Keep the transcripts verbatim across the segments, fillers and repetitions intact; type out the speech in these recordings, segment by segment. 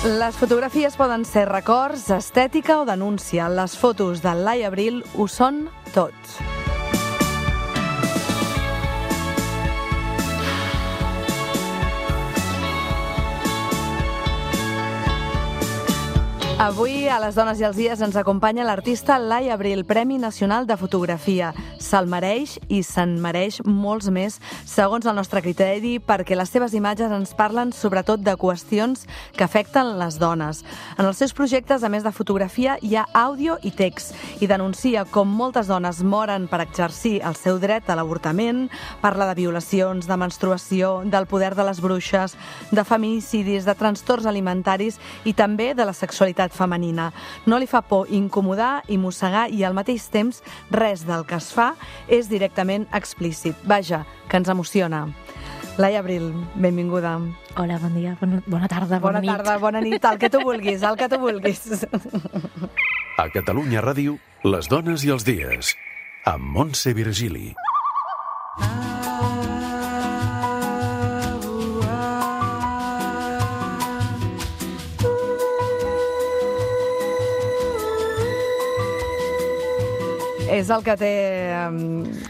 Les fotografies poden ser records, estètica o denúncia. Les fotos de Laia Abril ho són tot. Avui, a Les dones i els dies, ens acompanya l'artista Laia Abril, Premi Nacional de Fotografia. Se'l mereix i se'n mereix molts més, segons el nostre criteri, perquè les seves imatges ens parlen sobretot de qüestions que afecten les dones. En els seus projectes, a més de fotografia, hi ha àudio i text, i denuncia com moltes dones moren per exercir el seu dret a l'avortament, parla de violacions, de menstruació, del poder de les bruixes, de feminicidis, de trastorns alimentaris i també de la sexualitat femenina. No li fa por incomodar i mossegar i al mateix temps res del que es fa és directament explícit. Vaja, que ens emociona. Laia Abril, benvinguda. Hola, bon dia, bona, bona tarda, bona, bona nit. Bona tarda, bona nit, el que tu vulguis, el que tu vulguis. A Catalunya Ràdio, Les dones i els dies, amb Montse Virgili. És el que té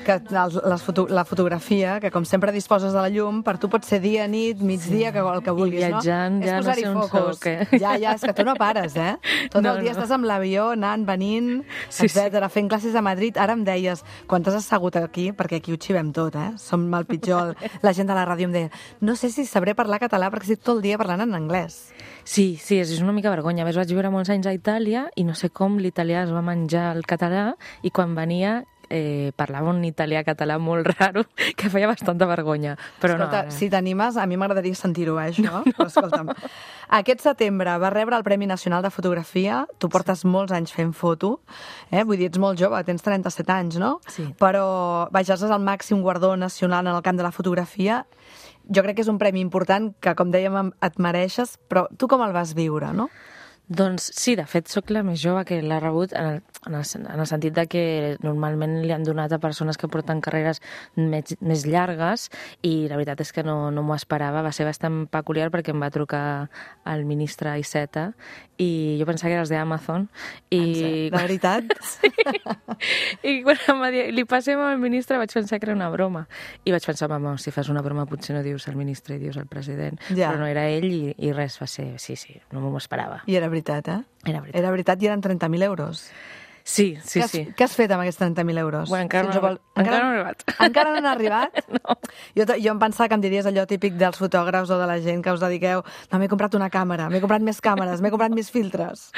que les foto, la fotografia, que com sempre disposes de la llum, per tu pot ser dia, nit, migdia, que el que vulguis, I viatjant, no? ja no sé on soc, eh? Ja, ja, és que tu no pares, eh? Tot no, el dia no. estàs amb l'avió, anant, venint, sí, etcètera, sí. Fent classes a Madrid. Ara em deies, quan t'has assegut aquí, perquè aquí ho xivem tot, eh? Som el pitjor. La gent de la ràdio em deia, no sé si sabré parlar català perquè estic tot el dia parlant en anglès. Sí, sí, és una mica vergonya. A més, vaig viure molts anys a Itàlia i no sé com l'italià es va menjar el català i quan venia eh, parlava un italià-català molt raro que feia bastanta vergonya. Però escolta, no, si t'animes, a mi m'agradaria sentir-ho, eh, això. No, no. Però escolta'm, aquest setembre va rebre el Premi Nacional de Fotografia. Tu portes molts anys fent foto, eh? Vull dir, ets molt jove, tens trenta-set anys, no? Sí. Però, vaja, és el màxim guardó nacional en el camp de la fotografia. Jo crec que és un premi important que, com dèiem, et mereixes, però tu com el vas viure, no? Doncs sí, de fet, sóc la més jove que l'ha rebut en el, en, el, en el sentit de que normalment li han donat a persones que porten carreres més, més llargues i la veritat és que no, no m'ho esperava. Va ser bastant peculiar perquè em va trucar el ministre Iceta i jo pensava que era els d'Amazon. I... De veritat? Sí. I quan em va dir, li passem al ministre, vaig pensar que era una broma. I vaig pensar, mama, si fas una broma potser no dius el ministre i dius el president. Ja. Però no era ell i, i res, va ser, sí, sí, no m'ho esperava. I era veritat, eh? Era veritat. Era veritat i eren trenta mil euros. Sí, sí, què has, sí. Què has fet amb aquests trenta mil euros? Bueno, encara, si no, vol... encara, encara no han arribat. Encara no han arribat? No. Jo, jo em pensava que em diries allò típic dels fotògrafs o de la gent que us dediqueu, no, m'he comprat una càmera, m'he comprat més càmeres, m'he comprat més filtres.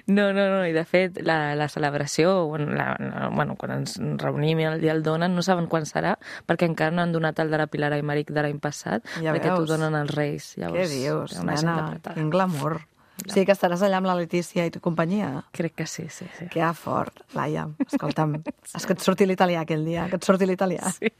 No, no, no, i de fet la, la celebració, bueno, la, la, bueno, quan ens reunim i el dia el donen, no saben quan serà, perquè encara no han donat el de la Pilar Aymeric de l'any passat, ja perquè veus. T'ho donen els Reis. Què Llavors, dius, una nena? Quin glamour. Sí, que estaràs allà amb la Letícia i tu companyia. Crec que sí, sí, sí. Que fort, Laia. Escolta'm, és que et surti l'italià aquell dia, que et surti l'italià. Sí.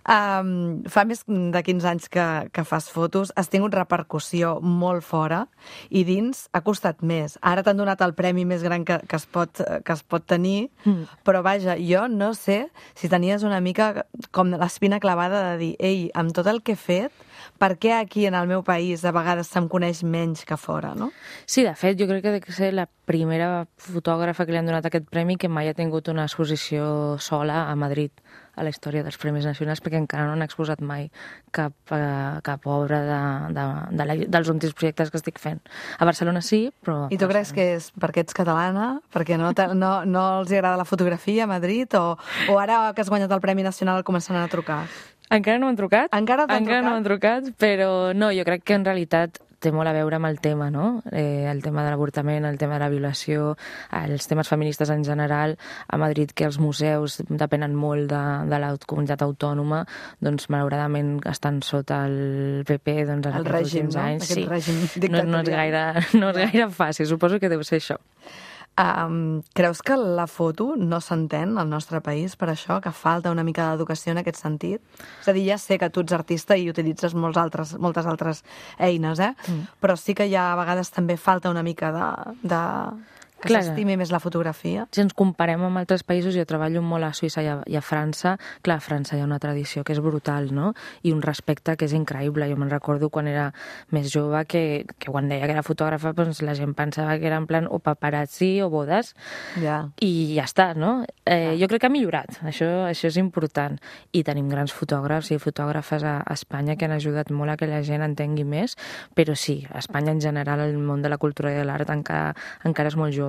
Um, fa més de quinze anys que, que fas fotos, has tingut repercussió molt fora i dins ha costat més. Ara t'han donat el premi més gran que, que, es, pot, que es pot tenir, mm. però vaja, jo no sé si tenies una mica com l'espina clavada de dir, ei, amb tot el que he fet, per què aquí en el meu país a vegades se'm coneix menys que fora, no? Sí, de fet, jo crec que ha de ser la primera fotògrafa que li han donat aquest premi que mai ha tingut una exposició sola a Madrid a la història dels Premis Nacionals, perquè encara no han exposat mai cap, uh, cap obra de, de, de la, dels últims projectes que estic fent. A Barcelona sí, però... I tu creus que és perquè ets catalana? Perquè no, no, no els agrada la fotografia a Madrid? O, o ara que has guanyat el Premi Nacional començaran a trucar? Encara no m'han trucat. Encara t'han Encara trucat? no m'han trucat, però no, jo crec que en realitat té molt a veure amb el tema, no? Eh, el tema de l'avortament, el tema de la violació, els temes feministes en general. A Madrid, que els museus depenen molt de, de la comunitat autònoma, doncs malauradament estan sota el P P doncs, en el aquests règim, últims no? anys. Aquest sí. règim no, no, és gaire, no és gaire fàcil, suposo que deu ser això. Um, creus que la foto no s'entén al nostre país per això, que falta una mica d'educació en aquest sentit? És a dir, ja sé que tu ets artista i utilitzes molts altres, moltes altres eines, eh? Mm. Però sí que ja a vegades també falta una mica de... de... que s'estimi més la fotografia? Si ens comparem amb altres països, jo treballo molt a Suïssa i a, i a França, clar, a França hi ha una tradició que és brutal, no? I un respecte que és increïble. Jo me'n recordo quan era més jove que, que quan deia que era fotògrafa, doncs la gent pensava que era en plan o paparazzi o bodes, ja. i ja està, no? Eh, jo crec que ha millorat, això, això és important. I tenim grans fotògrafs i fotògrafes a, a Espanya que han ajudat molt a que la gent entengui més, però sí, a Espanya en general el món de la cultura i de l'art encara, encara és molt jove.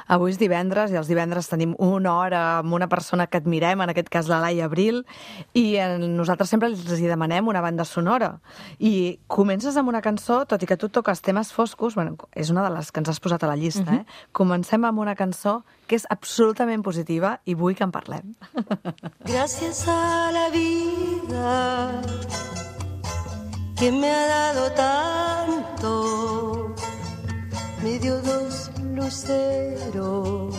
Avui és divendres i els divendres tenim una hora amb una persona que admirem, en aquest cas la Laia Abril, i nosaltres sempre els hi demanem una banda sonora. I comences amb una cançó, tot i que tu toques temes foscos, bueno, és una de les que ens has posat a la llista, uh-huh. eh? Comencem amb una cançó que és absolutament positiva i vull que en parlem. Gracias a la vida que me ha dado tanto, me dio dos luceros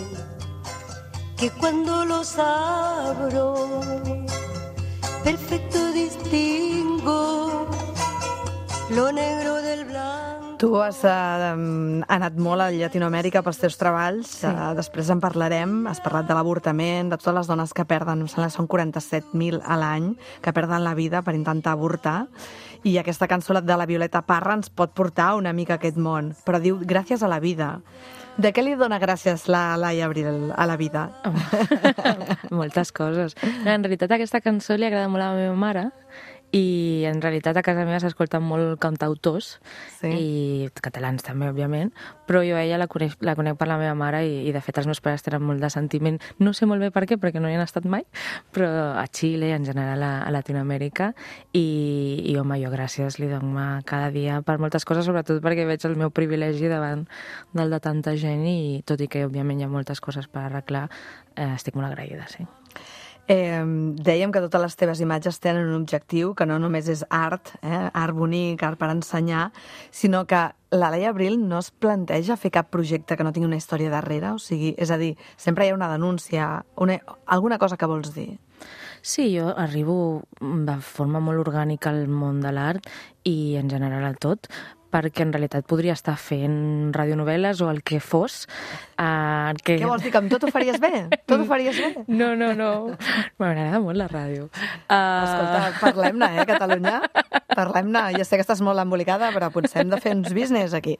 que cuando los abro perfecto distingo lo negro del blanco. Tu has uh, anat molt a Llatinoamèrica pels teus treballs, sí. uh, després en parlarem, has parlat de l'avortament, de totes les dones que perden, em sembla que són quaranta-set mil a l'any, que perden la vida per intentar avortar, i aquesta cançó de la Violeta Parra ens pot portar una mica a aquest món, però diu gràcies a la vida. De què li dona gràcies la Laia Abril a la vida? Moltes coses. En realitat aquesta cançó li agrada molt a la meva mare, i en realitat a casa meva s'escolten molt cantautors, sí. I catalans també, òbviament, però jo a ella la conec, la conec per la meva mare i, i de fet els meus pares tenen molt de sentiment, no sé molt bé per què, perquè no hi han estat mai, però a Xile, en general a, a Latinoamèrica, i, i home, jo gràcies li dono cada dia per moltes coses, sobretot perquè veig el meu privilegi davant del de tanta gent i tot i que òbviament hi ha moltes coses per arreglar, eh, estic molt agraïda, sí. Eh, dèiem que totes les teves imatges tenen un objectiu, que no només és art, eh, art bonic, art per ensenyar, sinó que la Laia Abril no es planteja fer cap projecte que no tingui una història darrere, o sigui, és a dir, sempre hi ha una denúncia, una, alguna cosa que vols dir. Sí, jo arribo de forma molt orgànica al món de l'art i en general al tot, perquè en realitat podria estar fent radionovel·les o el que fos. Uh, que... Què vols dir, que amb tot ho faries bé? Tot ho faries bé? No, no, no. M'agrada molt la ràdio. Uh... Escolta, parlem-ne, eh, Catalunya? Parlem-ne. Ja sé que estàs molt embolicada, però potser hem de fer uns business aquí.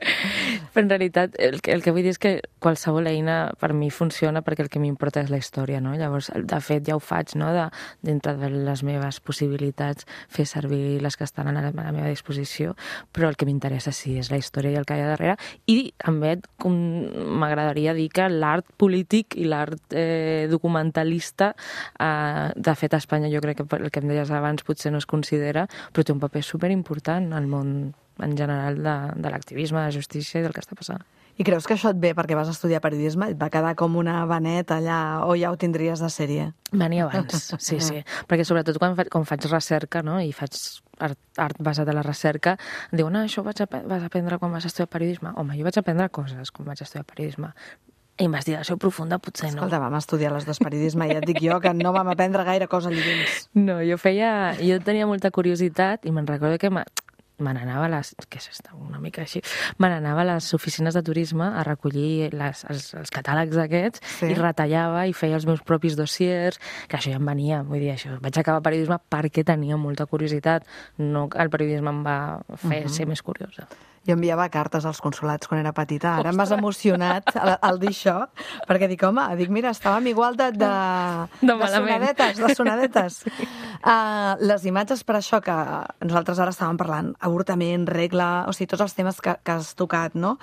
Però en realitat el que, el que vull dir és que qualsevol eina per mi funciona perquè el que m'importa és la història, no? Llavors, de fet, ja ho faig, no? De, dintre de les meves possibilitats, fer servir les que estan a la, a la meva disposició, però el que m'interessa sí, és la història i el que hi ha darrere, i també m'agradaria dir que l'art polític i l'art eh, documentalista, eh, de fet a Espanya jo crec que el que em deies abans potser no es considera, però té un paper superimportant al món en general de, de l'activisme, de la justícia i del que està passant. I creus que això et ve perquè vas estudiar periodisme? Et va quedar com una vaneta allà o ja ho tindries de sèrie? Venia abans, sí, sí. Perquè sobretot quan, fa, quan faig recerca, no?, i faig art, art basat en la recerca, em diuen, ah, això vaig a, vas a aprendre quan vas estudiar periodisme. Home, jo vaig aprendre coses quan vaig estudiar periodisme. Investigació profunda potser no. Escolta, vam estudiar les dues periodisme i ja et dic jo que no vam aprendre gaire cosa allà dins. No, jo feia... Jo tenia molta curiositat i me'n recordo que me n'anava a les... Què és això? Una mica així. Me n'anava a les oficines de turisme a recollir les, els, els catàlegs aquests, sí. I retallava i feia els meus propis dossiers, que això ja em venia, vull dir, això. Vaig acabar periodisme perquè tenia molta curiositat. No, el periodisme em va fer uh-huh. ser més curiosa. Jo enviava cartes als consulats quan era petita. Ara m'has emocionat al, al dir això, perquè dic, home, dic, mira, estàvem igual de, de, de, de sonadetes, de sonadetes. Sí. Uh, les imatges per això que nosaltres ara estàvem parlant, avortament, regla, o sigui, tots els temes que, que has tocat, no?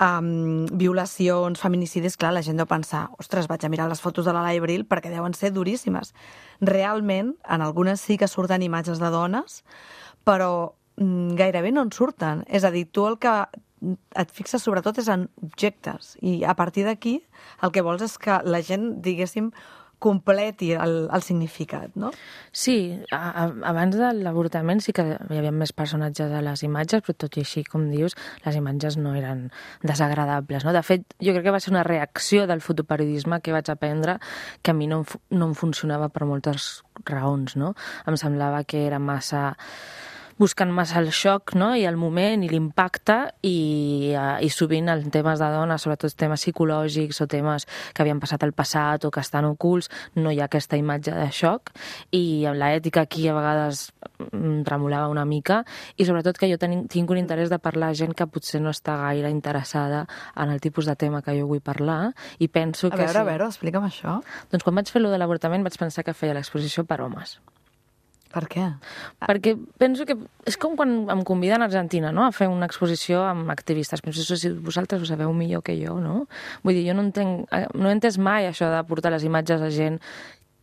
Um, violacions, feminicidis, clar, la gent deu pensar, ostres, vaig a mirar les fotos de la Laia Abril perquè deuen ser duríssimes. Realment, en algunes sí que surten imatges de dones, però gairebé no en surten. És a dir, tu el que et fixes sobretot és en objectes i a partir d'aquí el que vols és que la gent, diguéssim, completi el, el significat, no? Sí, a, a, abans de l'avortament sí que hi havia més personatges a les imatges, però tot i així, com dius, les imatges no eren desagradables, no? De fet, jo crec que va ser una reacció del fotoperiodisme que vaig aprendre que a mi no, no em funcionava per moltes raons, no? Em semblava que era massa... buscant massa el xoc, no? I el moment i l'impacte i, uh, i sovint en temes de dones, sobretot temes psicològics o temes que havien passat al passat o que estan ocults, no hi ha aquesta imatge de xoc i amb l'ètica aquí a vegades tremolava una mica i sobretot que jo ten, tinc un interès de parlar a gent que potser no està gaire interessada en el tipus de tema que jo vull parlar i penso a que... A veure, sí. a veure, explica'm això. Doncs quan vaig fer lo de l'avortament vaig pensar que feia l'exposició per homes. Per què? Perquè penso que és com quan em conviden a Argentina, no?, a fer una exposició amb activistes. Penso si vosaltres ho sabeu millor que jo, no? Vull dir, jo no entenc, no he entès mai això de portar les imatges a gent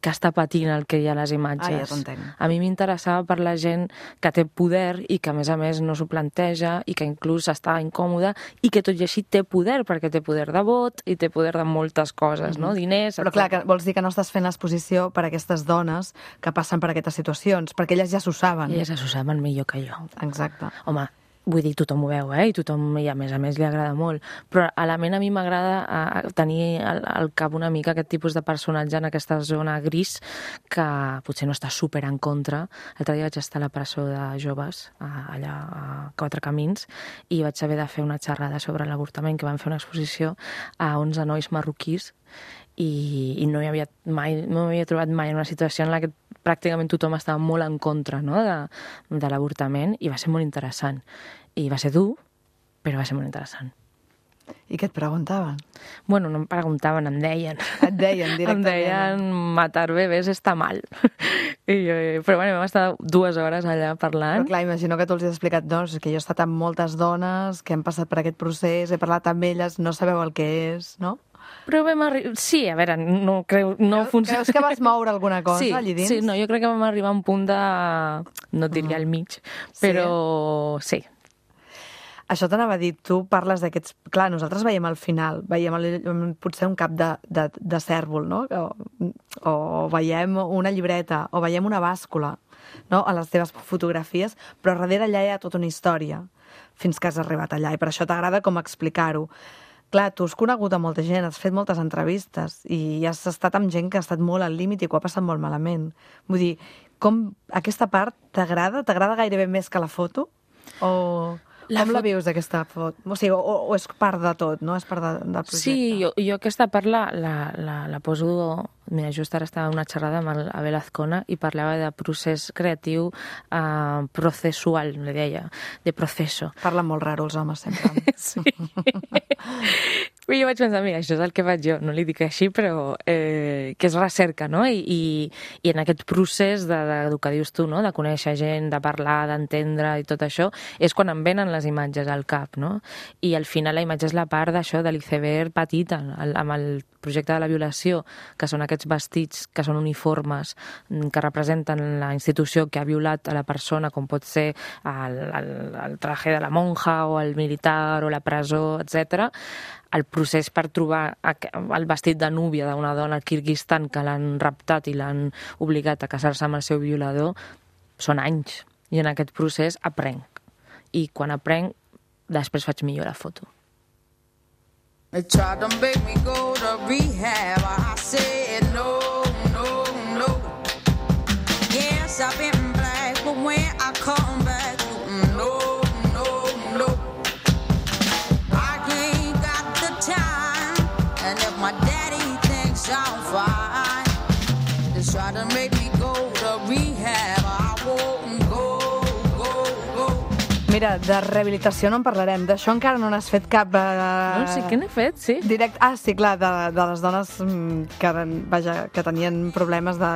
que està patint el que hi ha a les imatges. Ah, ja t'entenc. A mi m'interessava per la gent que té poder i que, a més a més, no s'ho planteja i que inclús està incòmoda i que tot i així té poder, perquè té poder de vot i té poder de moltes coses, mm-hmm. no? Diners... Però clar, que vols dir que no estàs fent l'exposició per a aquestes dones que passen per aquestes situacions, perquè elles ja s'ho saben. Elles ja s'ho saben millor que jo. Exacte. Home, vull dir, tothom ho veu, eh? I tothom, i a més a més, li agrada molt. Però a la ment a mi m'agrada tenir al, al cap una mica aquest tipus de personatge en aquesta zona gris que potser no està super en contra. L'altre dia vaig estar a la presó de joves, allà a Quatre Camins, i vaig haver de fer una xerrada sobre l'avortament, que van fer una exposició a onze nois marroquís, i, i no hi havia mai, no m'havia trobat mai en una situació en la que pràcticament tothom estava molt en contra, no?, de, de l'avortament, i va ser molt interessant. I va ser dur, però va ser molt interessant. I què et preguntaven? Bueno, no em preguntaven, em deien. Et deien directament. Em deien, matar bebès està mal. I jo, però bueno, vam estar dues hores allà parlant. Però clar, imagino que tu els has explicat, doncs, que jo he estat amb moltes dones que han passat per aquest procés, he parlat amb elles, no sabeu el que és, no? Però vam arribar... Sí, a veure, no creu... No Creus, funciona... creus que vas moure alguna cosa sí, allí dins? Sí, no, jo crec que vam arribar a un punt de... No et diria al mig, però sí. Això t'anava a dir, tu parles d'aquests... Clar, nosaltres veiem al final, veiem el, potser un cap de, de, de cèrvol, no? O, o veiem una llibreta, o veiem una bàscula, no?, a les teves fotografies, però darrere allà hi ha tota una història, fins que has arribat allà, i per això t'agrada com explicar-ho. Clar, tu has conegut a molta gent, has fet moltes entrevistes i has estat amb gent que ha estat molt al límit i que ho ha passat molt malament. Vull dir, com aquesta part t'agrada? T'agrada gairebé més que la foto? O... La Com fot... la vius, aquesta foto? O sigui, o, o és part de tot, no? És part de, del projecte? Sí, jo, jo aquesta part la, la, la, la poso... Mira, just ara estava en una xerrada amb el Abel Azcona i parlava de procés creatiu uh, processual, li deia, de proceso. Parlen molt raro els homes, sempre. Sí. I jo vaig pensar, mira, això és el que faig jo, no li dic així, però eh, que és recerca, no? I, i, i en aquest procés de, de, del que dius tu, no?, de conèixer gent, de parlar, d'entendre i tot això, és quan em venen les imatges al cap, no? I al final la imatge és la part d'això, de l'iceberg petita, el, amb el projecte de la violació, que són aquests vestits que són uniformes, que representen la institució que ha violat a la persona, com pot ser el, el, el traje de la monja o el militar o la presó, etcètera. El procés per trobar el vestit de núvia d'una dona al Kirguistan que l'han raptat i l'han obligat a casar-se amb el seu violador són anys. I en aquest procés aprenc. I quan aprenc, després faig millor la foto. They tried to make me go to rehab. I said no, no, no. Yes, I've been black, but when I come back, no, no, no. I ain't got the time, and if my daddy thinks I'm fine, they try to make me go to rehab. I won't go, go, go. Mira, de rehabilitació no en parlarem. D'això encara no n'has fet cap... Eh... No, sí que n'he fet, sí. Direct... Ah, sí, clar, de, de les dones que, vaja, que tenien problemes de...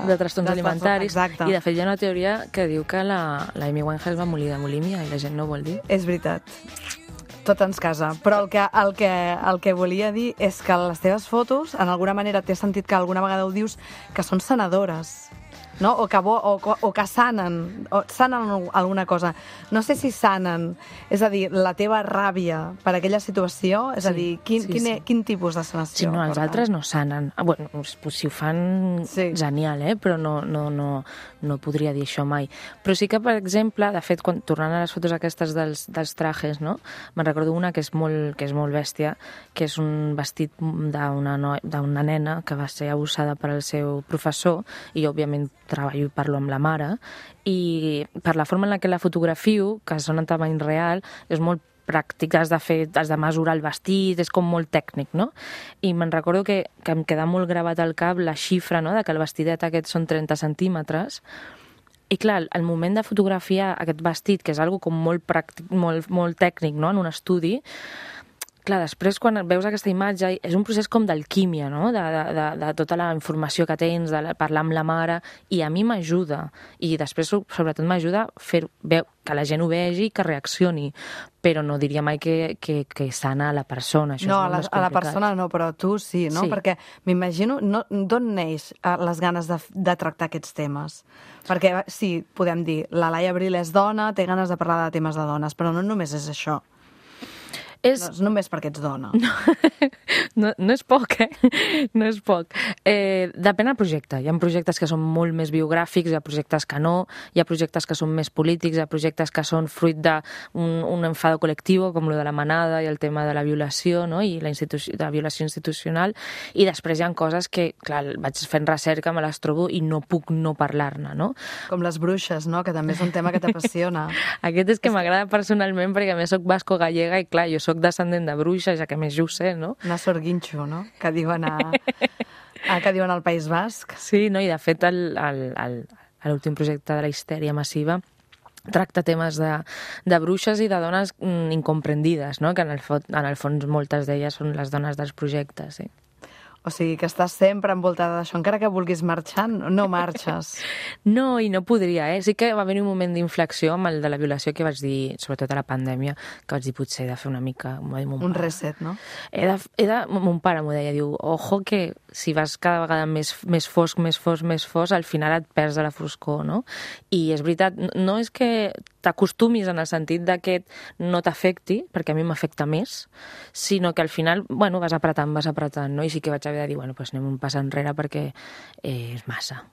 De trastorns de alimentaris. Exacte. I de fet hi ha una teoria que diu que la, la Amy Winehouse va morir de bulímia i la gent no ho vol dir. És veritat. Tot ens casa. Però el que, el, que, el que volia dir és que les teves fotos, en alguna manera t'he sentit que alguna vegada ho dius, que són sanadores. No? O, que bo, o, o que sanen, o sanen alguna cosa. No sé si sanen, és a dir, la teva ràbia per aquella situació, és sí, a dir, quin, sí, quin, sí. quin tipus de sanació? Sí, no, els altres no sanen. Ah, bueno, si ho fan, sí. Genial, eh? Però no, no, no, no podria dir això mai. Però sí que, per exemple, de fet, quan, tornant a les fotos aquestes dels, dels trajes, no? Me'n recordo una que és molt, que és molt bèstia, que és un vestit d'una no, d'una nena que va ser abusada per el seu professor i, òbviament, actualment treballo i parlo amb la mare, i per la forma en la que la fotografio, que són en tamany real, és molt pràctic, has de fer, has de mesurar el vestit, és com molt tècnic, no? I me'n recordo que, que em queda molt gravat al cap la xifra, no?, de que el vestidet aquest són trenta centímetres. I clar, el moment de fotografiar aquest vestit, que és algo com molt pràctic, molt, molt tècnic, no?, en un estudi, clar, després quan veus aquesta imatge és un procés com d'alquímia, no?, de, de, de, de tota la informació que tens, de parlar amb la mare, i a mi m'ajuda. I després, sobretot, m'ajuda a fer que la gent ho vegi i que reaccioni. Però no diria mai que, que, que sana a la persona. Això no, és a la, a la persona no, però tu sí, no? Sí. Perquè m'imagino, no, d'on neix les ganes de, de tractar aquests temes? Perquè sí, podem dir, la Laia Abril és dona, té ganes de parlar de temes de dones, però no només és això. És... No és només perquè ets dona. No, no, no és poc, eh? No és poc. Eh, depèn del projecte. Hi ha projectes que són molt més biogràfics, hi ha projectes que no, hi ha projectes que són més polítics, hi ha projectes que són fruit d'un un enfado col·lectiu, com lo de la manada i el tema de la violació, no?, i la, institució, la violació institucional, i després hi ha coses que, clar, vaig fent recerca, me les trobo i no puc no parlar-ne, no? Com les bruixes, no?, que també és un tema que t'apassiona. Aquest és que m'agrada personalment perquè a més soc basco-gallega i, clar, jo soc descendent de bruixes, ja que més jo ho sé, no? Una sorguinxo, no?, que diuen, a, a, que diuen al País Basc. Sí, no? I de fet l'últim projecte de la histèria massiva tracta temes de, de bruixes i de dones mm, incomprendides, no?, que en el, en el fons moltes d'elles són les dones dels projectes, sí. O sigui, que estàs sempre envoltada d'això. Encara que vulguis marxar, no marxes. No, i no podria, eh? Sí que va haver un moment d'inflexió amb el de la violació que vaig dir, sobretot a la pandèmia, que vaig dir, potser he de fer una mica... Un pare. reset, no? He de, he de, mon pare m'ho deia, diu, ojo que si vas cada vegada més, més fosc, més fosc, més fosc, al final et perds de la foscor, no? I és veritat, no és que t'acostumis en el sentit de que no t'afecti, perquè a mi m'afecta més, sinó que al final, bueno, vas apretant, vas apretant, no? I sí que vaig haver de dir, bueno, doncs anem un pas enrere perquè eh, és massa.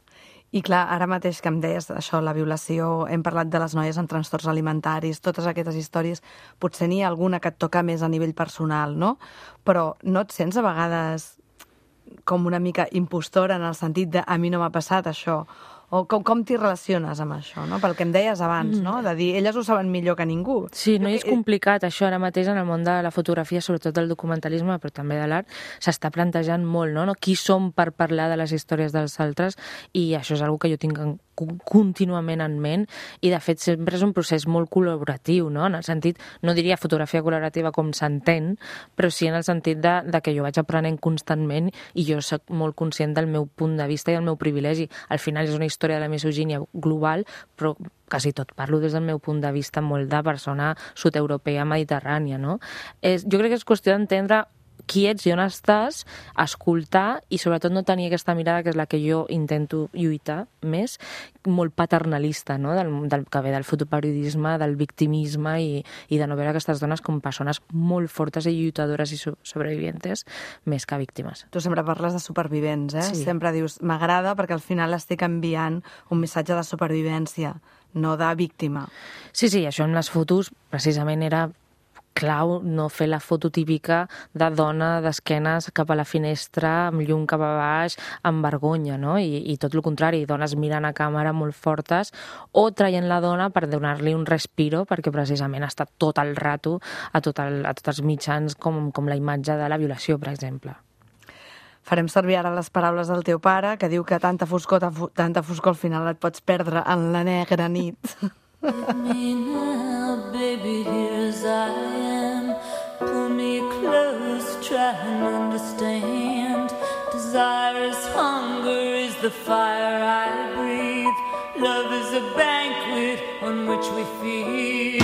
I clar, ara mateix que em deies això, la violació, hem parlat de les noies amb trastorns alimentaris, totes aquestes històries, potser n'hi ha alguna que et toca més a nivell personal, no? Però no et sents a vegades com una mica impostora en el sentit de a mi no m'ha passat això? O com, com t'hi relaciones amb això, no? Pel que em deies abans, no? De dir, elles ho saben millor que ningú. Sí, no, i és complicat això ara mateix en el món de la fotografia, sobretot del documentalisme, però també de l'art, s'està plantejant molt, no? Qui som per parlar de les històries dels altres, i això és una cosa que jo tinc en contínuament en ment, i de fet sempre és un procés molt col·laboratiu, no? En el sentit, no diria fotografia col·laborativa com s'entén, però sí en el sentit de, de que jo vaig aprenent constantment i jo soc molt conscient del meu punt de vista i del meu privilegi. Al final és una història de la misogínia global, però quasi tot parlo des del meu punt de vista molt de persona sud-europea mediterrània, no? És, jo crec que és qüestió d'entendre qui ets i on estàs, escoltar i sobretot no tenir aquesta mirada que és la que jo intento lluitar més, molt paternalista, no? del, del que ve del fotoperiodisme, del victimisme i, i de no veure aquestes dones com persones molt fortes i lluitadores i sobrevivientes més que víctimes. Tu sempre parles de supervivents, eh? Sí. Sempre dius, m'agrada perquè al final estic enviant un missatge de supervivència, no de víctima. Sí, sí, això amb les fotos precisament era clau no fer la foto típica de dona d'esquenes cap a la finestra, amb llum cap a baix, amb vergonya, no? I, i tot el contrari, dones mirant a càmera molt fortes o traient la dona per donar-li un respiro, perquè precisament està tot el rato a, tot el, a tots els mitjans com, com la imatge de la violació, per exemple. Farem servir ara les paraules del teu pare, que diu que tanta foscor, tanta foscor al final et pots perdre en la negra nit. Let me now, baby, here as I am. Pull me close, try and understand. Desire is hunger, is the fire I breathe. Love is a banquet on which we feed.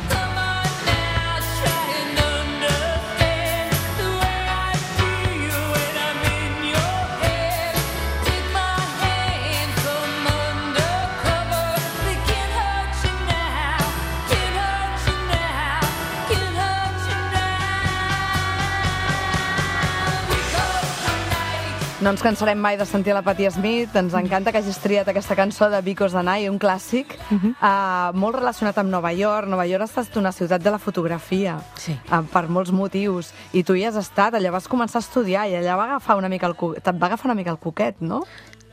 Come on now, try and understand the way I feel when I'm in your head. Take my hand, come undercover. We can't hurt you now, can't hurt you now, can't hurt you now. We go tonight. No ens cansarem mai de sentir la Patti Smith. Ens encanta que hagis triat aquesta cançó de Because the Night, un clàssic, uh-huh. uh, molt relacionat amb Nova York. Nova York ha estat una ciutat de la fotografia, sí. uh, per molts motius. I tu hi has estat, allà vas començar a estudiar i allà va agafar una mica el cu... te't va agafar una mica el coquet, no?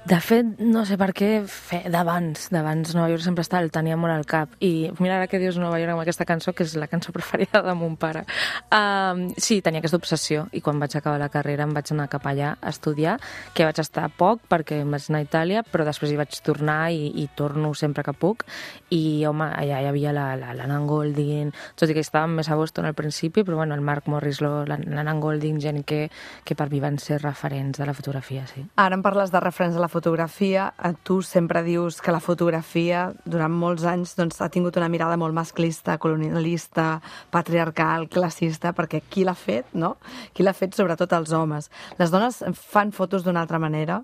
De fet, no sé per què, fe, d'abans, d'abans Nova York sempre està, el tenia molt al cap. I mira, ara que dius Nova York amb aquesta cançó, que és la cançó preferida de mon pare. Um, sí, tenia aquesta obsessió, i quan vaig acabar la carrera em vaig anar cap allà a estudiar, que vaig estar poc perquè em vaig anar a Itàlia, però després hi vaig tornar i, i torno sempre que puc. I, home, allà hi havia l'Anna Goldin, tot i que estàvem més a Boston al principi, però bueno, el Mark Morrislow, l'Anna Goldin, gent que, que per mi van ser referents de la fotografia, sí. Ara em parles de referents de la fotografia, tu sempre dius que la fotografia durant molts anys doncs, ha tingut una mirada molt masclista, colonialista, patriarcal, classista, perquè qui l'ha fet, no? Qui l'ha fet sobretot els homes. Les dones fan fotos d'una altra manera,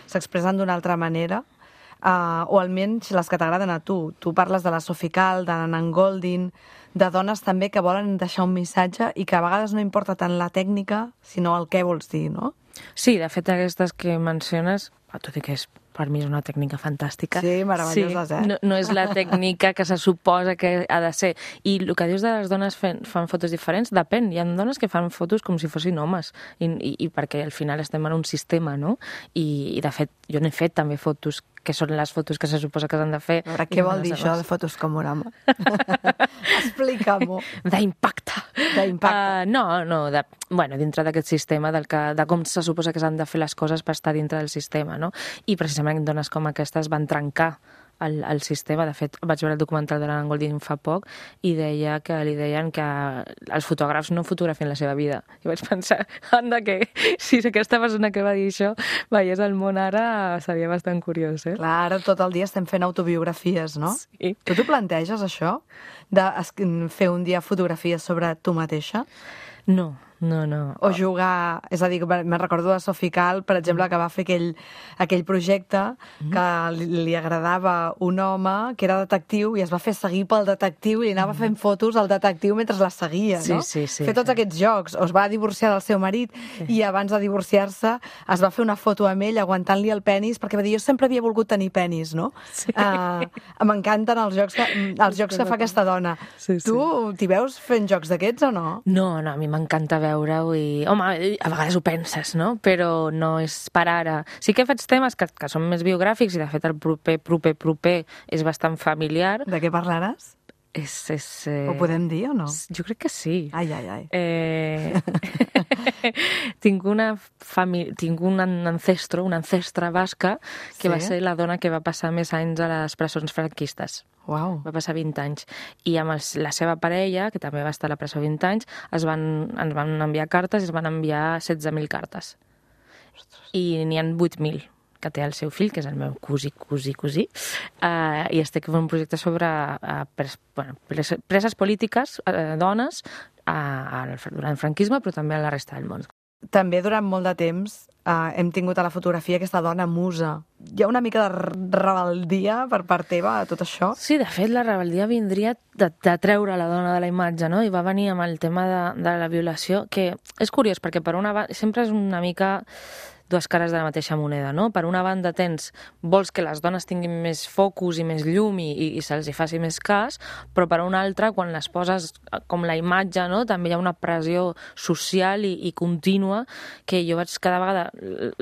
s'expressen d'una altra manera, uh, o almenys les que t'agraden a tu. Tu parles de la Sophie Calle, de Nan Goldin, de dones també que volen deixar un missatge i que a vegades no importa tant la tècnica, sinó el què vols dir, no? Sí, de fet, aquestes que menciones, tot i que és, per mi és una tècnica fantàstica. Sí, meravelloses, sí, eh? No, no és la tècnica que se suposa que ha de ser. I el que dius de les dones fent, fan fotos diferents, depèn. Hi ha dones que fan fotos com si fossin homes, i, i, i perquè al final estem en un sistema, no? I, i de fet, jo n'he fet també fotos que són les fotos que se suposa que s'han de fer. A veure, què vol dir això de fotos com Morama? Explica-m'ho. D'impacte. D'impacte. Uh, no, no, de, bueno, dintre d'aquest sistema, del que, de com se suposa que s'han de fer les coses per estar dintre del sistema, no? I precisament dones com aquestes van trencar el, el sistema. De fet, vaig veure el documental de l'Anna Goldin fa poc i deia que li deien que els fotògrafs no fotografien la seva vida. I vaig pensar, anda, que si aquesta persona que va dir això veiés el món ara, seria bastant curiós, eh? Clar, ara tot el dia estem fent autobiografies, no? Sí. Tu t'ho planteges, això? De fer un dia fotografies sobre tu mateixa? No, no, no. O jugar... És a dir, me'n recordo de Sophie Calle, per exemple, que va fer aquell, aquell projecte que li, li agradava un home que era detectiu i es va fer seguir pel detectiu i anava fent fotos al detectiu mentre la seguia, Sí, no? sí, sí, fer tots sí. aquests jocs. O es va divorciar del seu marit i abans de divorciar-se es va fer una foto amb ell aguantant-li el penis perquè va dir, jo sempre havia volgut tenir penis, no? Sí. Uh, M'encanten els jocs que, els jocs que fa aquesta dona. Sí, sí. Tu t'hi veus fent jocs d'aquests o no? No, no, a mi m'encanta veure-ho i... Home, a vegades ho penses, no? Però no és per ara. Sí que faig temes que, que són més biogràfics i, de fet, el proper, proper, proper és bastant familiar. De què parlaràs? És... és eh... Ho podem dir o no? Jo crec que sí. Ai, ai, ai. Eh... tinc, una fami... tinc un ancestro, una ancestra basca, que Sí? va ser la dona que va passar més anys a les presons franquistes. Uau. Va passar vint anys. I amb els, la seva parella, que també va estar a la presó vint anys, es van, ens van enviar cartes i es van enviar setze mil cartes. Ostres. I n'hi ha vuit mil que té el seu fill, que és el meu cosí, cosí, cosí, uh, i estic fent un projecte sobre uh, pres, bueno, preses, preses polítiques, uh, dones, uh, durant el franquisme, però també a la resta del món. També durant molt de temps eh, hem tingut a la fotografia aquesta dona musa. Hi ha una mica de rebeldia per part teva a tot això? Sí, de fet, la rebeldia vindria de, de treure la dona de la imatge, no? I va venir amb el tema de, de la violació, que és curiós, perquè per una banda sempre és una mica dues cares de la mateixa moneda, no? Per una banda tens, vols que les dones tinguin més focus i més llum i, i, i se'ls hi faci més cas, però per una altra, quan les poses com la imatge, no? També hi ha una pressió social i, i contínua que jo vaig cada vegada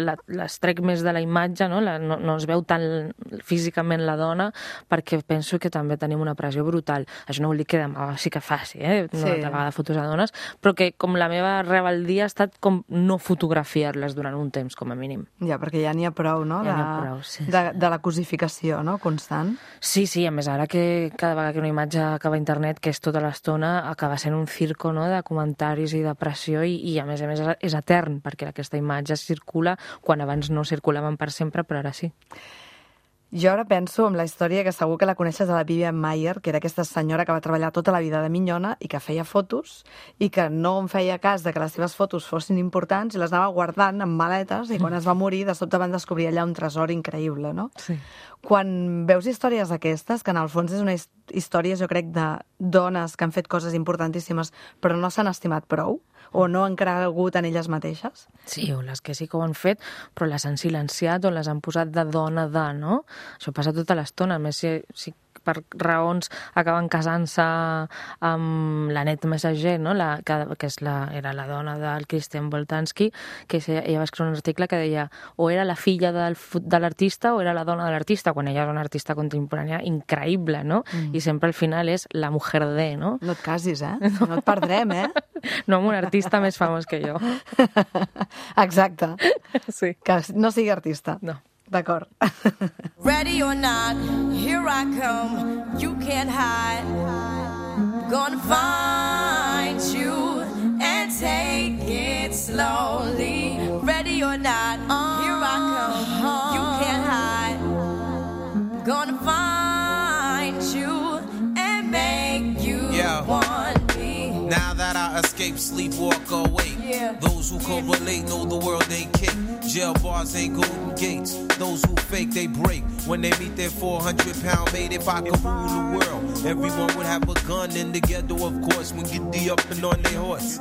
la, les trec més de la imatge, no? La, no? No es veu tan físicament la dona, perquè penso que també tenim una pressió brutal. Això no vol dir que demà sí que faci, eh? Una Sí. altra vegada fotos a dones, però que com la meva rebeldia ha estat com no fotografiar-les durant un temps, com a mínim. Ja, perquè ja n'hi ha prou, no? Ja de, n'hi ha prou, sí, de, de la cosificació, no? Constant. Sí, sí, a més ara que cada vegada que una imatge acaba a internet, que és tota l'estona, acaba sent un circo, no?, de comentaris i de pressió i, i a més a més és etern, perquè aquesta imatge circula quan abans no circulaven per sempre, però ara sí. Jo ara penso en la història que segur que la coneixes de la Vivian Maier, que era aquesta senyora que va treballar tota la vida de minyona i que feia fotos i que no en feia cas de que les seves fotos fossin importants i les anava guardant en maletes i quan es va morir de sobte van descobrir allà un tresor increïble, no? Sí. Quan veus històries d'aquestes, que en el fons és una història, jo crec, de dones que han fet coses importantíssimes però no s'han estimat prou o no han cregut en elles mateixes? Sí, o les que sí que ho han fet, però les han silenciat o les han posat de dona de, no? Això passa tota l'estona. A més, si, si per raons acaben casant-se amb l'Annette Messager, no? la, que, que és la, era la dona del Christian Boltanski, que ella va escriure un article que deia o era la filla del, de l'artista o era la dona de l'artista, quan ella és una artista contemporània increïble, no? Mm. I sempre al final és la mujer de, no? No et casis, eh? No et perdrem, eh? No amb un artista més famós que jo. Exacte. Sí. Que no sigui artista. No. D'acord. Ready or not, here I come, you can't hide. Gonna find you and take it slowly. Ready or not, here I come, you can't hide. Gonna find you and make you yeah. want me. Now that I escape, sleep, walk awake. Yeah. Those who correlate know the world ain't kick. Jail bars ain't golden gates. Those who fake, they break. When they meet their four hundred pound mate, if I could rule the world, everyone would have a gun in the ghetto, of course, when get the up and on their horse.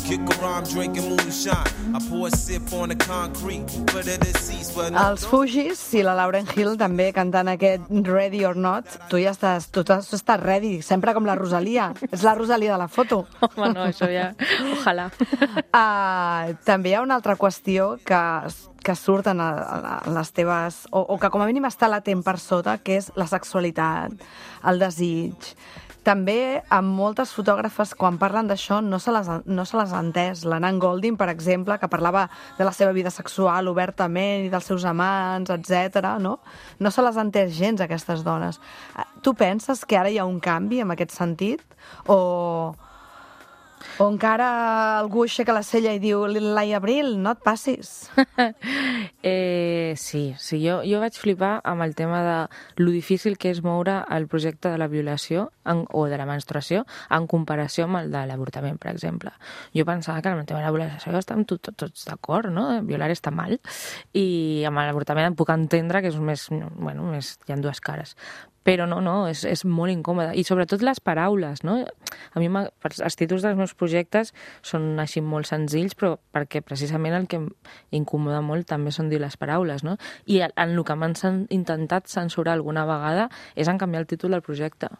Kick around drinking moonshine. I pour a sip on the concrete for the deceased. But no, Els Fugis i la Lauryn Hill també cantant aquest Ready or Not. Tu ja estàs, tu estàs ready, sempre com la Rosalia. És la Rosalia de la foto. Home, no, això ja... Ojalà. Uh, també hi ha una altra qüestió que, que surt en, a, en les teves... O, o que com a mínim està latent per sota, que és la sexualitat, el desig. També amb moltes fotògrafes, quan parlen d'això, no se les, no se les ha entès. La Nan Goldin, per exemple, que parlava de la seva vida sexual obertament i dels seus amants, etcètera, no? No se les ha entès gens, aquestes dones. Tu penses que ara hi ha un canvi en aquest sentit? O... O encara algú aixeca la cella i diu Lai Abril, no et passis. eh, sí, sí jo, jo vaig flipar amb el tema de lo difícil que és moure el projecte de la violació en, o de la menstruació en comparació amb el de l'avortament, per exemple. Jo pensava que amb el tema de la violació estem tot, tot, tots d'acord, no? Violar està mal, i amb l'avortament puc entendre que és més, bueno, més, hi ha dues cares. Però no, no, és, és molt incòmode. I sobretot les paraules, no? A mi els títols dels meus projectes són així molt senzills, però perquè precisament el que incomoda molt també són dir les paraules, no? I en el que m'han intentat censurar alguna vegada és en canviar el títol del projecte.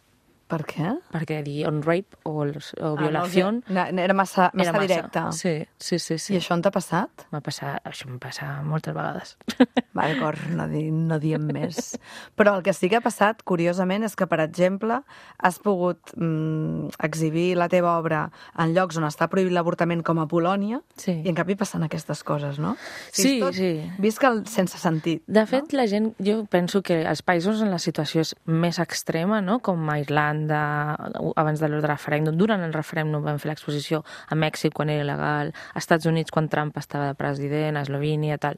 Per què? Perquè dir on rape o, o violació... Ah, no, era massa, massa era massa. directe. Sí, sí, sí, sí. I això on t'ha passat? M'ha passat, això em passa moltes vegades. Va, d'acord, no, di, no diem més. Però el que sí que ha passat, curiosament, és que, per exemple, has pogut mm, exhibir la teva obra en llocs on està prohibit l'avortament, com a Polònia, sí. I en canvi passen aquestes coses, no? Sí, tot, sí. Visc el sense sentit. De fet, no? La gent, jo penso que els països on la situació és més extrema, no? Com a Irlanda, abans de l'ordre referèndum, durant el referèndum vam fer l'exposició a Mèxic quan era il·legal, a Estats Units quan Trump estava de president, a Eslovènia, tal.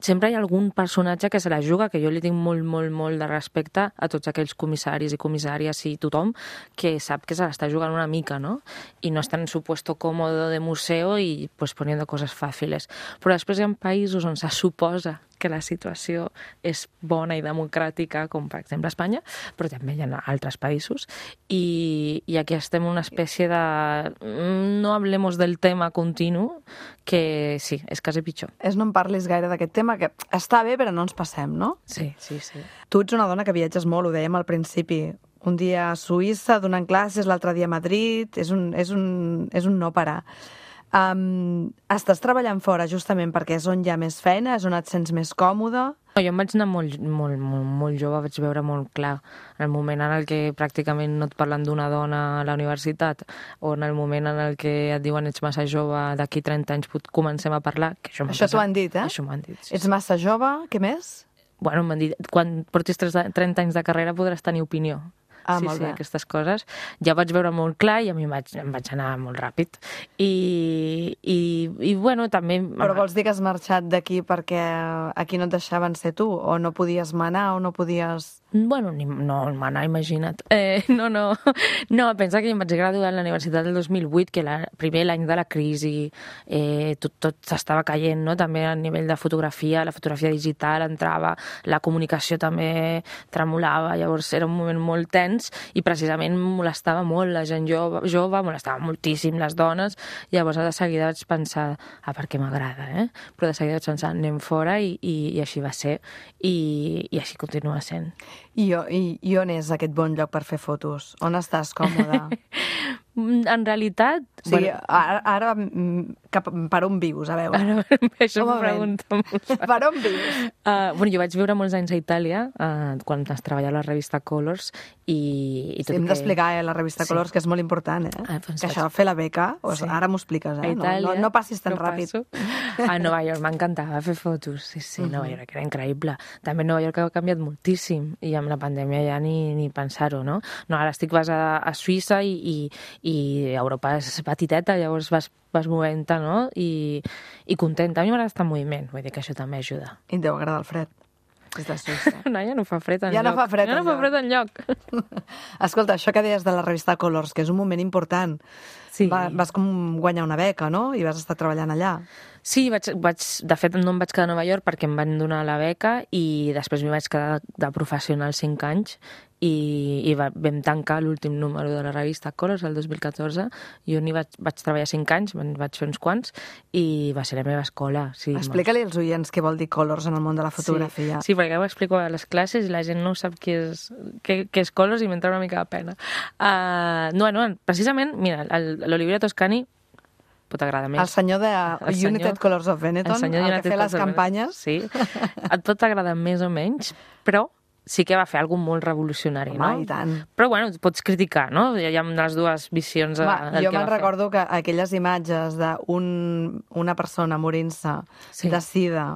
Sempre hi ha algun personatge que se la juga, que jo li tinc molt, molt, molt de respecte a tots aquells comissaris i comissàries i tothom que sap que se l'està jugant una mica, no? I no està en su puesto cómodo de museo i pues poniendo cosas fàciles. Però després hi ha països on se suposa que la situació és bona i democràtica, com per exemple Espanya, però també hi ha altres països, i, i aquí estem en una espècie de no hablemos del tema continu, que sí, és quasi pitjor. És no em parlis gaire d'aquest tema, que està bé, però no ens passem, no? Sí, sí, sí. Tu ets una dona que viatges molt, ho dèiem al principi. Un dia a Suïssa, donant classes, l'altre dia a Madrid, és un, és un, és un no parar. Um, estàs treballant fora justament perquè és on hi ha més feina, és on et sents més còmode? No, jo em vaig anar molt, molt, molt, molt jove, vaig veure molt clar en el moment en el que pràcticament no et parlen d'una dona a la universitat, o en el moment en el que et diuen ets massa jove, d'aquí trenta anys comencem a parlar, que això m'ha Això t'ho han dit, eh? Això m'ho han dit, sí. Ets massa jove, què més? Bueno, m'han dit, quan portis trenta anys de carrera podràs tenir opinió. Ah, sí, molt sí, bé. Aquestes coses. Ja vaig veure molt clar i a mi em vaig, em vaig anar molt ràpid. I, i, i bueno, també... Però vols dir que has marxat d'aquí perquè aquí no et deixaven ser tu? O no podies manar, o no podies... Bueno, ni, no, manar, imagina't. Eh, no, no. No, pensa que em vaig graduar a la universitat del dos mil vuit, que era primer l'any de la crisi, eh, tot, tot s'estava caient, no? També a nivell de fotografia, la fotografia digital entrava, la comunicació també tremolava, llavors era un moment molt tens i precisament molestava molt la gent jove, jove molestava moltíssim les dones, llavors de seguida vaig pensar, ah, perquè m'agrada, eh? Però de seguida vaig pensar, anem fora i, i, i així va ser, i, i així continua sent. I, i, I on és aquest bon lloc per fer fotos? On estàs còmode? En realitat... O sigui, bueno, ara, ara cap, per on vius, a veure? Ara, això m'ho pregunta molt. Per on vius? Uh, bueno, jo vaig viure molts anys a Itàlia, uh, quan es treballava a la revista Colors, i, i tot sí, hem que... d'explicar, eh, la revista Sí. Colors, que és molt important, eh? Ah, doncs que vaig- això, fer la beca, o Sí. ara m'ho expliques, A eh? Itàlia, no, no, no passis tan no ràpid. passo. A Nova York m'encantava fer fotos. Sí, sí, Nova York era increïble. També Nova York ha canviat moltíssim i amb la pandèmia ja ni, ni pensar-ho, no? No, ara estic basada a Suïssa i, i, i Europa és petiteta, llavors vas, vas movent-te, no? I, i contenta. A mi m'agrada estar en moviment, vull dir que això també ajuda. I et deu agradar el fred. És de Suïssa. No, ja no fa fred enlloc. Ja no fa fred ja no fa enlloc. fred enlloc. Escolta, això que deies de la revista Colors, que és un moment important. Sí. Va, vas com guanyar una beca, no? I vas estar treballant allà. Sí, vaig, vaig, de fet no em vaig quedar a Nova York perquè em van donar la beca i després m'hi vaig quedar de professional cinc anys i, i va, vam tancar l'últim número de la revista Colors el dos mil catorze. Jo n'hi vaig, vaig treballar cinc anys, me'n vaig fer uns quants i va ser la meva escola. Sí, Explica-li als oients què vol dir Colors en el món de la fotografia. Sí, sí, perquè ho explico a les classes i la gent no sap què és, què, què és Colors i m'entra una mica de pena. Uh, no, no, precisament, mira, l'Oliverio Toscani pot agradar més. El senyor de El senyor- United Colors of Benetton, el, senyor el United que fer les Colors of campanyes. Sí, et pot agradar més o menys, però sí que va fer alguna molt revolucionari, Home, no? i tant. Però bueno, pots criticar, no? Hi ha les dues visions de, Va, del jo que me'n va recordo que aquelles imatges d'una un, persona morint-se Sí. de sida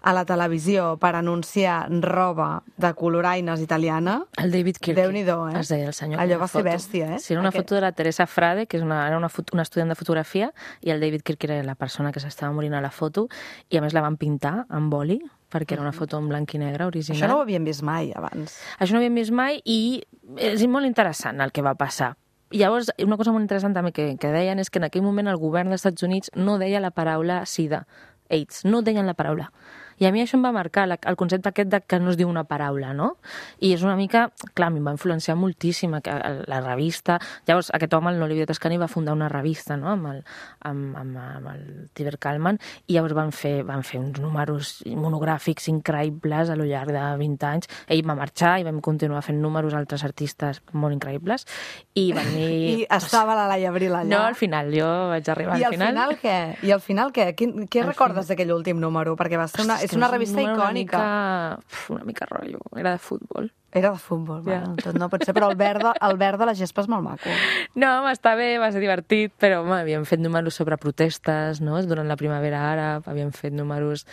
a la televisió per anunciar roba de coloraines italiana, fer. El David Kirky. Déu-n'hi-do, eh? Es deia el senyor. Allò aquella va ser foto. bèstia, eh? Sí, era una Aquest- foto de la Teresa Frade, que és una, era una, fot- una estudiant de fotografia, i el David Kirky era la persona que s'estava morint a la foto, i a més la van pintar amb boli, perquè era una foto en blanc i negre original. Això no ho havíem vist mai abans. Això no ho havíem vist mai i és molt interessant el que va passar. I llavors, una cosa molt interessant també que, que deien és que en aquell moment el govern dels Estats Units no deia la paraula sida, AIDS, no deien la paraula. I a mi això em va marcar la, el concepte aquest de que no es diu una paraula, no? I és una mica, clar, a mi em va influenciar moltíssim que la revista. Llavors, aquest home, l'Olivier Toscani, va fundar una revista, no?, amb el, amb, amb, amb el Tiber Kalman, i llavors van fer, van fer uns números monogràfics increïbles a lo llarg de vint anys. Ell va marxar i vam continuar fent números altres artistes molt increïbles. I van dir... I estava la Laia Abril allà. No, al final, jo vaig arribar I al al final. final què? I al final què? Quin, què Al recordes d'aquell últim número? Perquè va ser una, Ostres, és una que revista número icònica. Una mica, uf, una mica rotllo, era de futbol. Era de futbol, Ja. bueno, tot no pot ser, però el verd, de, el verd de la gespa és molt maco. No, home, està bé, va ser divertit, però home, havíem fet números sobre protestes, no?, durant la primavera àrab, havíem fet números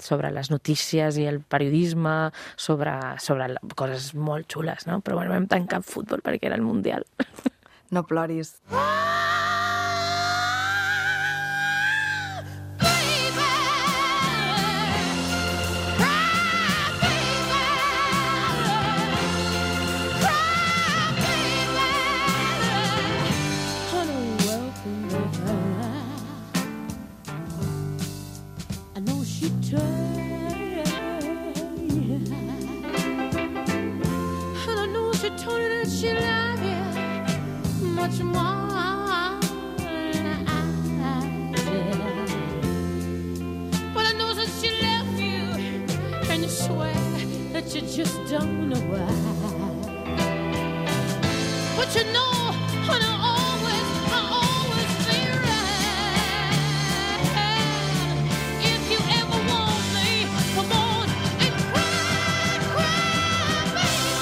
sobre les notícies i el periodisme, sobre, sobre la- coses molt xules, no? Però bueno, vam tancar amb futbol perquè era el Mundial. No ploris. I know she tried, and I know she told you that she loved you much more than I did. But I know that she left you, and you swear that you just don't know why. But you know, and I always, I always be right. If you ever want me, come on and cry, cry, baby.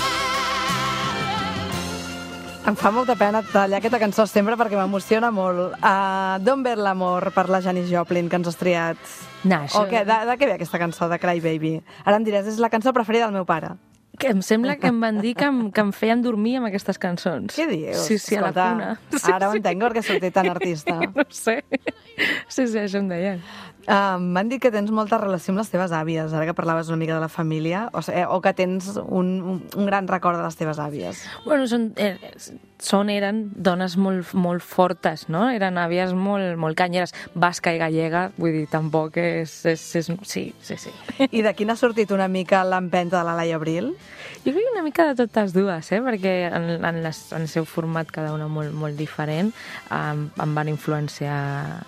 Em fa molta pena tallar aquesta cançó sempre perquè m'emociona molt. Uh, D'on ve l'amor per la Janis Joplin que ens has triat? No, això... O què? De, de què ve aquesta cançó, de Cry Baby? Ara em diràs, és la cançó preferida del meu pare. Que em sembla que em van dir que em, que em feien dormir amb aquestes cançons. Què dius? Sí, sí, a la Escolta, cuna. Sí, ara ho sí. entenc perquè soc tan artista. No sé. Sí, sí, això em deien. Uh, M'han dit que tens molta relació amb les teves àvies, ara que parlaves una mica de la família, o, sigui, o que tens un, un, un gran record de les teves àvies. Bueno, són, eh, són eren dones molt, molt fortes, no? Eren àvies molt, molt canyeres. Basca i gallega, vull dir, tampoc és... és, és sí, sí, sí. I de quina ha sortit una mica l'empenta de la Laia Abril? Jo crec que una mica de totes dues, eh? Perquè en, en, les, en el seu format cada una molt, molt diferent em, em van influenciar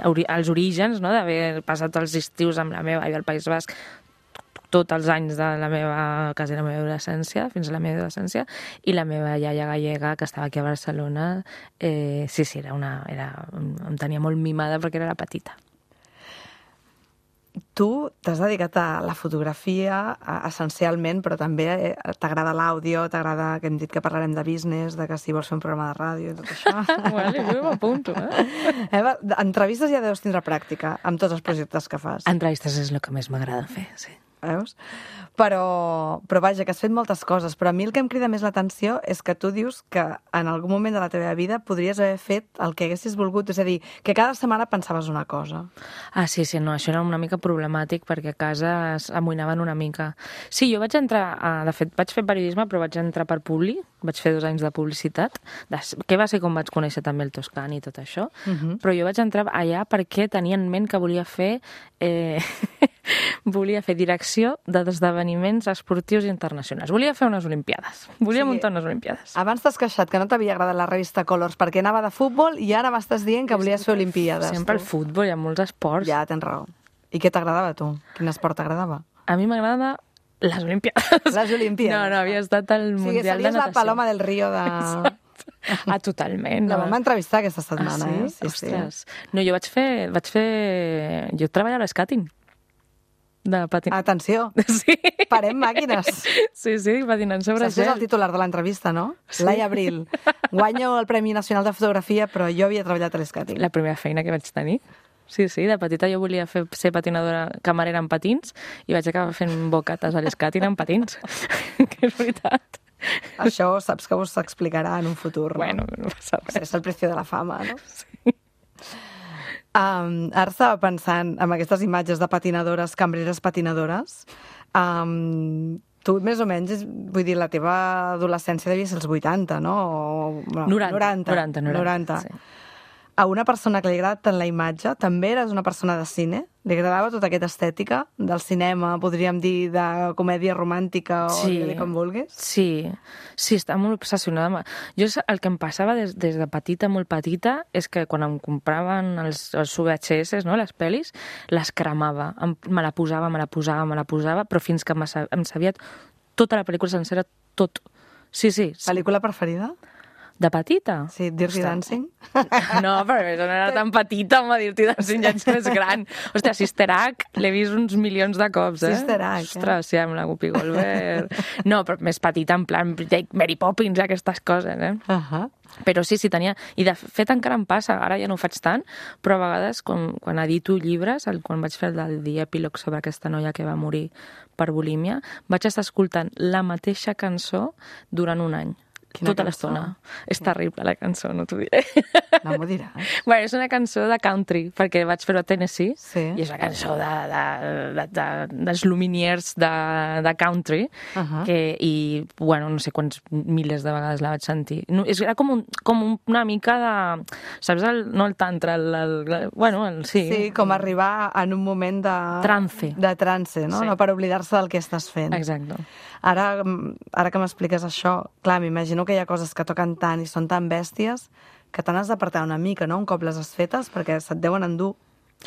ori, els orígens, no? D'haver passat els estius amb la meva àvia al País Basc, tots els anys de la meva, quasi la meva adolescència, fins a la meva adolescència, i la meva iaia gallega, que estava aquí a Barcelona, eh, sí, sí, era una, era, em tenia molt mimada perquè era la petita. Tu t'has dedicat a la fotografia essencialment, però també t'agrada l'àudio, t'agrada, que hem dit que parlarem de business, de que si vols fer un programa de ràdio i tot això. Vale, jo m'apunto, eh? Eva, entrevistes ja deus tindre pràctica amb tots els projectes que fas. Entrevistes és el que més m'agrada fer, sí. Veus? Però, però vaja, que has fet moltes coses, però a mi el que em crida més l'atenció és que tu dius que en algun moment de la teva vida podries haver fet el que haguessis volgut, és a dir, que cada setmana pensaves una cosa. Ah, sí, sí, no, això era una mica problemàtic perquè a casa s'amoïnaven una mica. Sí, jo vaig entrar, a, de fet, vaig fer periodisme, però vaig entrar per Publi, vaig fer dos anys de publicitat, de, que va ser com vaig conèixer també el Toscani i tot això, uh-huh. Però jo vaig entrar allà perquè tenia en ment que volia fer... Eh, volia fer direcció d'esdeveniments esportius internacionals. Volia fer unes olimpiades. Volia sí. muntar unes olimpiades. Abans t'has queixat que no t'havia agradat la revista Colors perquè anava de futbol i ara m'estàs dient que volies fer olimpiades. Sempre tu. El futbol, hi ha molts esports. Ja, tens raó. I què t'agradava a tu? Quin esport t'agradava? A mi m'agrada les olimpiades. Les olimpiades. No, no, havia estat al sí, Mundial de Natació. Sí, la Paloma del Río de... Ah, totalment. La vam entrevistar aquesta setmana, ah, sí? eh? Sí, Ostres. Sí. No, jo vaig fer... Vaig fer... Jo treballava a l'escàting. De patin... Atenció, sí. Parem màquines. Sí, sí, patinant sobre gel. Saps el titular de l'entrevista, no? Sí. Laia Abril. Guanyo el Premi Nacional de Fotografia, però jo havia treballat a l'escàting. La primera feina que vaig tenir. Sí, sí, de petita jo volia fer, ser patinadora, camarera en patins, i vaig acabar fent bocates a l'escàting en patins. Que és veritat. Això saps que us s'explicarà en un futur, no? Bueno, no passa res. És el precio de la fama, no? Sí. Um, ara estava pensant en aquestes imatges de patinadores, cambreres patinadores. Um, tu, més o menys, vull dir, la teva adolescència devia ser els vuitanta, no? O, bueno, noranta. noranta. noranta, noranta, noranta. sí. A una persona que li agrada tant la imatge, també eres una persona de cine? Li agradava tota aquesta estètica del cinema, podríem dir, de comèdia romàntica o sí, dir com vulguis? Sí, sí, estava molt obsessionada. Jo el que em passava des, des de petita, molt petita, és que quan em compraven els, els V H S, no, les pel·lis, les cremava. Em, me la posava, me la posava, me la posava, però fins que em sabia tota la pel·lícula sencera, tot. Sí, sí. Pel·lícula preferida? De petita? Sí, Dirty Dancing. No, però no era tan petita, home, Dirty Dancing ja ets més gran. Hòstia, Sister Act l'he vist uns milions de cops, eh? Sister Act, Ostres, sí, amb la Whoopi Goldberg. No, però més petita, en plan Mary Poppins, aquestes coses, eh? Uh -huh. Però sí, sí, tenia... I de fet encara em passa, ara ja no ho faig tant, però a vegades quan, quan edito llibres, el, quan vaig fer el del The Epilogue sobre aquesta noia que va morir per bulímia, vaig estar escoltant la mateixa cançó durant un any. Quina tota l'estona. És terrible, la cançó, no t'ho diré. No m'ho diràs. Bueno, és una cançó de country, perquè vaig fer-ho a Tennessee, sí. I és una cançó de, de, de, de, dels Lumineers de, de country, uh -huh. que, i, bueno, no sé quants milers de vegades la vaig sentir. No, és, era com, un, com una mica de... Saps, el, no el tantra, el, el, el, bueno, el, sí. Sí, com arribar en un moment de... Trance. De trance, no? Sí. No per oblidar-se del que estàs fent. Exacte. Ara, ara que m'expliques això, clar, m'imagino que hi ha coses que toquen tant i són tan bèsties que te n'has d'apartar una mica, no?, un cop les has fetes, perquè se't deuen endur.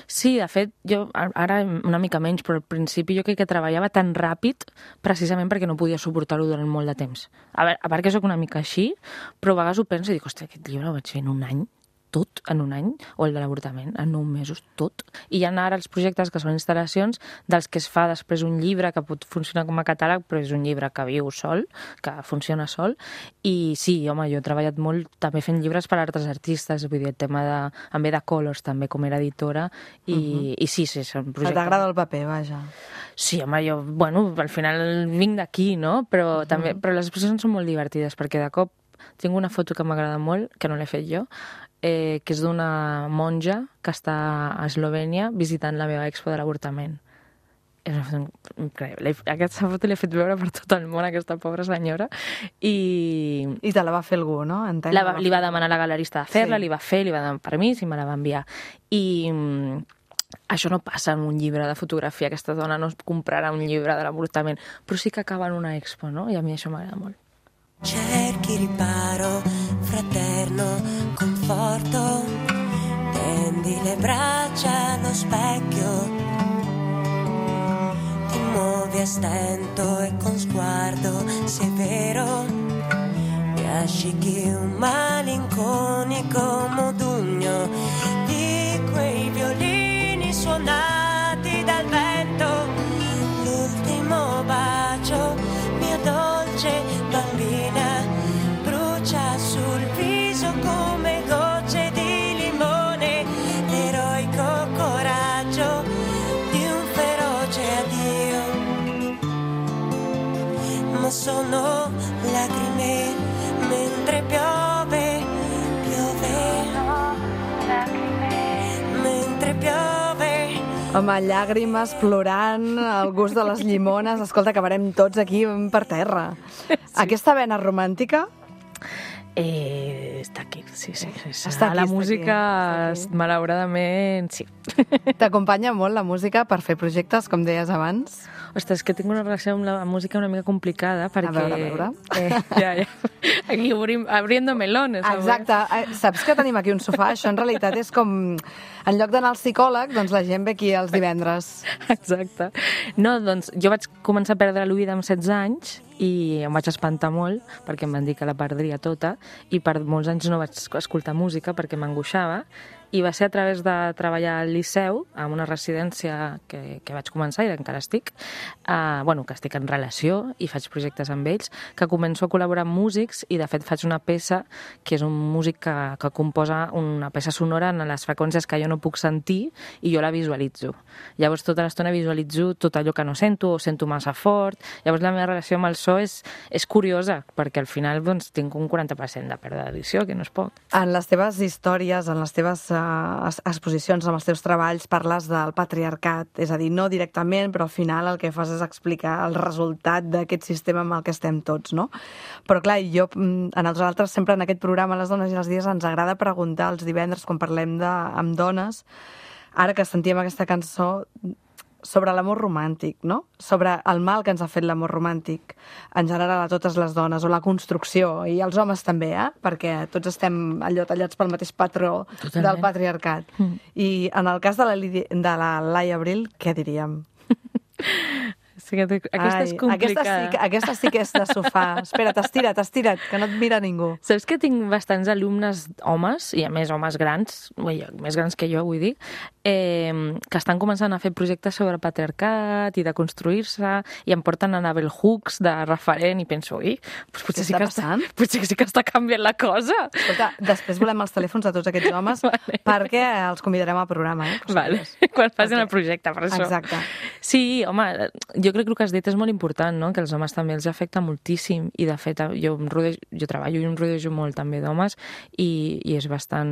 Sí, de fet, jo ara una mica menys, però al principi jo crec que treballava tan ràpid precisament perquè no podia suportar-ho durant molt de temps. A veure, a part que soc una mica així, però a vegades ho penso i dic, ostres, aquest llibre ho vaig fer en un any, tot en un any, o el de l'avortament, en nou mesos, tot. I hi ha ara els projectes que són instal·lacions dels que es fa després un llibre que pot funcionar com a catàleg, però és un llibre que viu sol, que funciona sol. I sí, home, jo he treballat molt també fent llibres per a altres artistes, vull dir, el tema de... en ve de Colors, també, com era editora, i, uh-huh. i sí, sí, són projectes... T'agrada el paper, vaja. Sí, home, jo, bueno, al final vinc d'aquí, no? Però, uh-huh. també, però les exposicions són molt divertides, perquè de cop tinc una foto que m'agrada molt, que no l'he fet jo, eh, que és d'una monja que està a Eslovènia visitant la meva expo de l'avortament. És una foto increïble. Aquesta foto l'he fet veure per tot el món, aquesta pobra senyora, i... I te la va fer algú, no? Entenc, la va, li va demanar a la galerista de fer-la, sí. li va fer, li va demanar permís i me la va enviar. I mm, això no passa en un llibre de fotografia, aquesta dona no es comprarà un llibre de l'avortament, però sí que acaba en una expo, no? I a mi això m'agrada molt. Cerchi riparo, fraterno, conforto, tendi le braccia allo specchio, ti muovi a stento e con sguardo severo mi asciughi un malinconico modugno di quei violini suonati dal vento. L'ultimo bacio, mia dolce bambina, brucia sul viso come gocce di limone, l'eroico coraggio di un feroce addio. Ma sono lacrime mentre piove, piove, mentre piove. Home, llàgrimes, plorant, el gust de les llimones... Escolta, acabarem tots aquí per terra. Sí. Aquesta vena romàntica... Eh, està aquí, sí, sí. sí. Està aquí, la està música, aquí, aquí. malauradament, sí. T'acompanya molt la música per fer projectes, com deies abans? Ostres, és que tinc una relació amb la música una mica complicada, perquè... A veure, a veure. Eh, ja, ja. Aquí obrim, abriendo melones. Exacte. Eh, Saps que tenim aquí un sofà? Això en realitat és com... En lloc d'anar al psicòleg, doncs la gent ve aquí els divendres. Exacte. No, doncs jo vaig començar a perdre l'oïda amb setze anys i em vaig espantar molt perquè em van dir que la perdria tota i per molts anys no vaig escoltar música perquè m'angoixava. I va ser a través de treballar al Liceu, en una residència que, que vaig començar i encara estic, eh, bueno, que estic en relació i faig projectes amb ells, que començo a col·laborar amb músics i de fet faig una peça que és un músic que, que composa una peça sonora en les freqüències que jo no puc sentir i jo la visualitzo. Llavors tota l'estona visualitzo tot allò que no sento o sento massa fort. Llavors la meva relació amb el so és, és curiosa perquè al final doncs, tinc un quaranta per cent de pèrdua d'edició, que no és poc. En les teves històries, en les teves exposicions, amb els teus treballs, parles del patriarcat, és a dir, no directament, però al final el que fas és explicar el resultat d'aquest sistema amb el que estem tots, no? Però clar, jo, a nosaltres sempre en aquest programa, Les dones i els dies, ens agrada preguntar els divendres, quan parlem de, amb dones, ara que sentíem aquesta cançó, sobre l'amor romàntic, no? Sobre el mal que ens ha fet l'amor romàntic en general a totes les dones, o la construcció, i els homes també, eh? Perquè tots estem allò tallats pel mateix patró Totalment. Del patriarcat. Mm. I en el cas de la, Lidi, de la Laia Abril, què diríem? Sí, aquesta Ai, és complicada. Aquesta sí, aquesta sí que és de sofà. Espera't, estira't, estira't, que no et mira ningú. Saps que tinc bastants alumnes homes, i a més homes grans, ui, més grans que jo, vull dir, eh, que estan començant a fer projectes sobre patriarcat i de construir-se, i em porten a Bell Hooks de referent, i penso, ui, doncs potser, sí que està, potser sí que està canviant la cosa. Escolta, després volem els telèfons de tots aquests homes vale. Perquè els convidarem al programa, eh? Vale, quan facin okay. el projecte, per això. Exacte. Sí, home, jo crec que el que has dit és molt important, no? Que els homes també els afecta moltíssim i de fet jo, em rodejo, jo treballo i em rodejo molt també d'homes i, i és bastant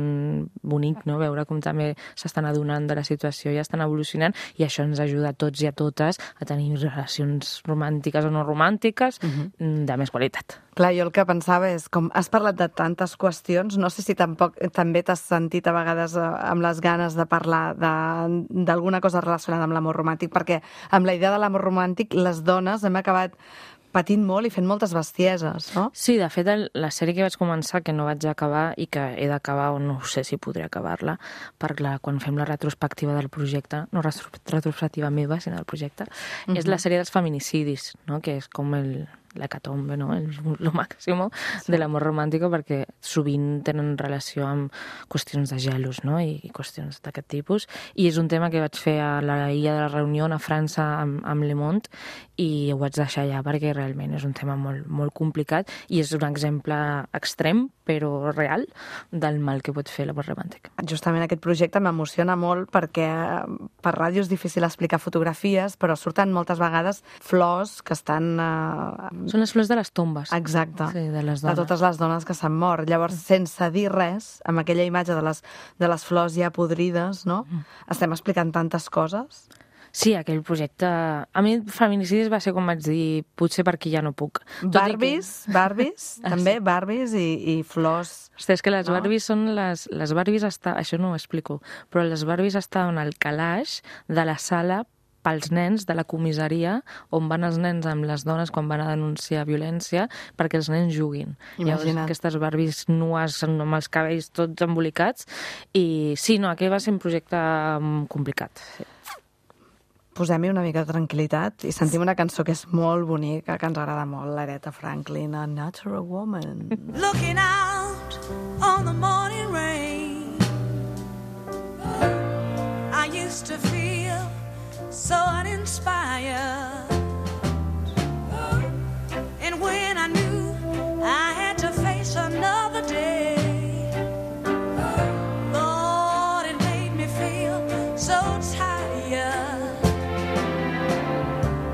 bonic, no? Veure com també s'estan adonant de la situació i estan evolucionant i això ens ajuda a tots i a totes a tenir relacions romàntiques o no romàntiques uh-huh. de més qualitat. Clar, jo el que pensava és, com has parlat de tantes qüestions, no sé si tampoc, també t'has sentit a vegades amb les ganes de parlar d'alguna cosa relacionada amb l'amor romàntic, perquè amb la idea de l'amor romàntic les dones hem acabat patint molt i fent moltes bestieses, no? Sí, de fet, la sèrie que vaig començar, que no vaig acabar i que he d'acabar, o no sé si podré acabar-la, perquè quan fem la retrospectiva del projecte, no retrospectiva meva, sinó del projecte, uh-huh. és la sèrie dels feminicidis, no? Que és com el... l'hecatombe, no? El, lo màximo sí. de l'amor romàntic, perquè sovint tenen relació amb qüestions de gelos, no? I, i qüestions d'aquest tipus. I és un tema que vaig fer a la Illa de la Reunió, a França, amb, amb Le Monde, i ho vaig deixar allà perquè realment és un tema molt, molt complicat i és un exemple extrem, però real, del mal que pot fer l'amor romàntic. Justament aquest projecte m'emociona molt perquè per ràdio és difícil explicar fotografies, però surten moltes vegades flors que estan... Eh, Són les flors de les tombes. Exacte. Sí, de les dones. De totes les dones que s'han mort. Llavors, sense dir res, amb aquella imatge de les, de les flors ja podrides, no? Mm. Estem explicant tantes coses. Sí, aquell projecte... A mi, feminicidis va ser com vaig dir, potser per aquí ja no puc. Barbies, que... Barbies, també, Barbies i, i flors... Hosti, és que les no? Barbies són les... Les Barbies està... Això no ho explico, però les Barbies estaven al calaix de la sala pels nens de la comissaria on van els nens amb les dones quan van a denunciar violència perquè els nens juguin. Imagina't. Llavors, aquestes Barbies nues amb els cabells tots embolicats i sí, no, aquell va ser un projecte complicat. Sí. posem-hi una mica de tranquil·litat i sentim una cançó que és molt bonica, que ens agrada molt, l'Aretha Franklin, A Natural Woman. Looking out on the morning rain, I used to feel so uninspired, and when I knew I had to face another day, Lord, it made me feel so tired.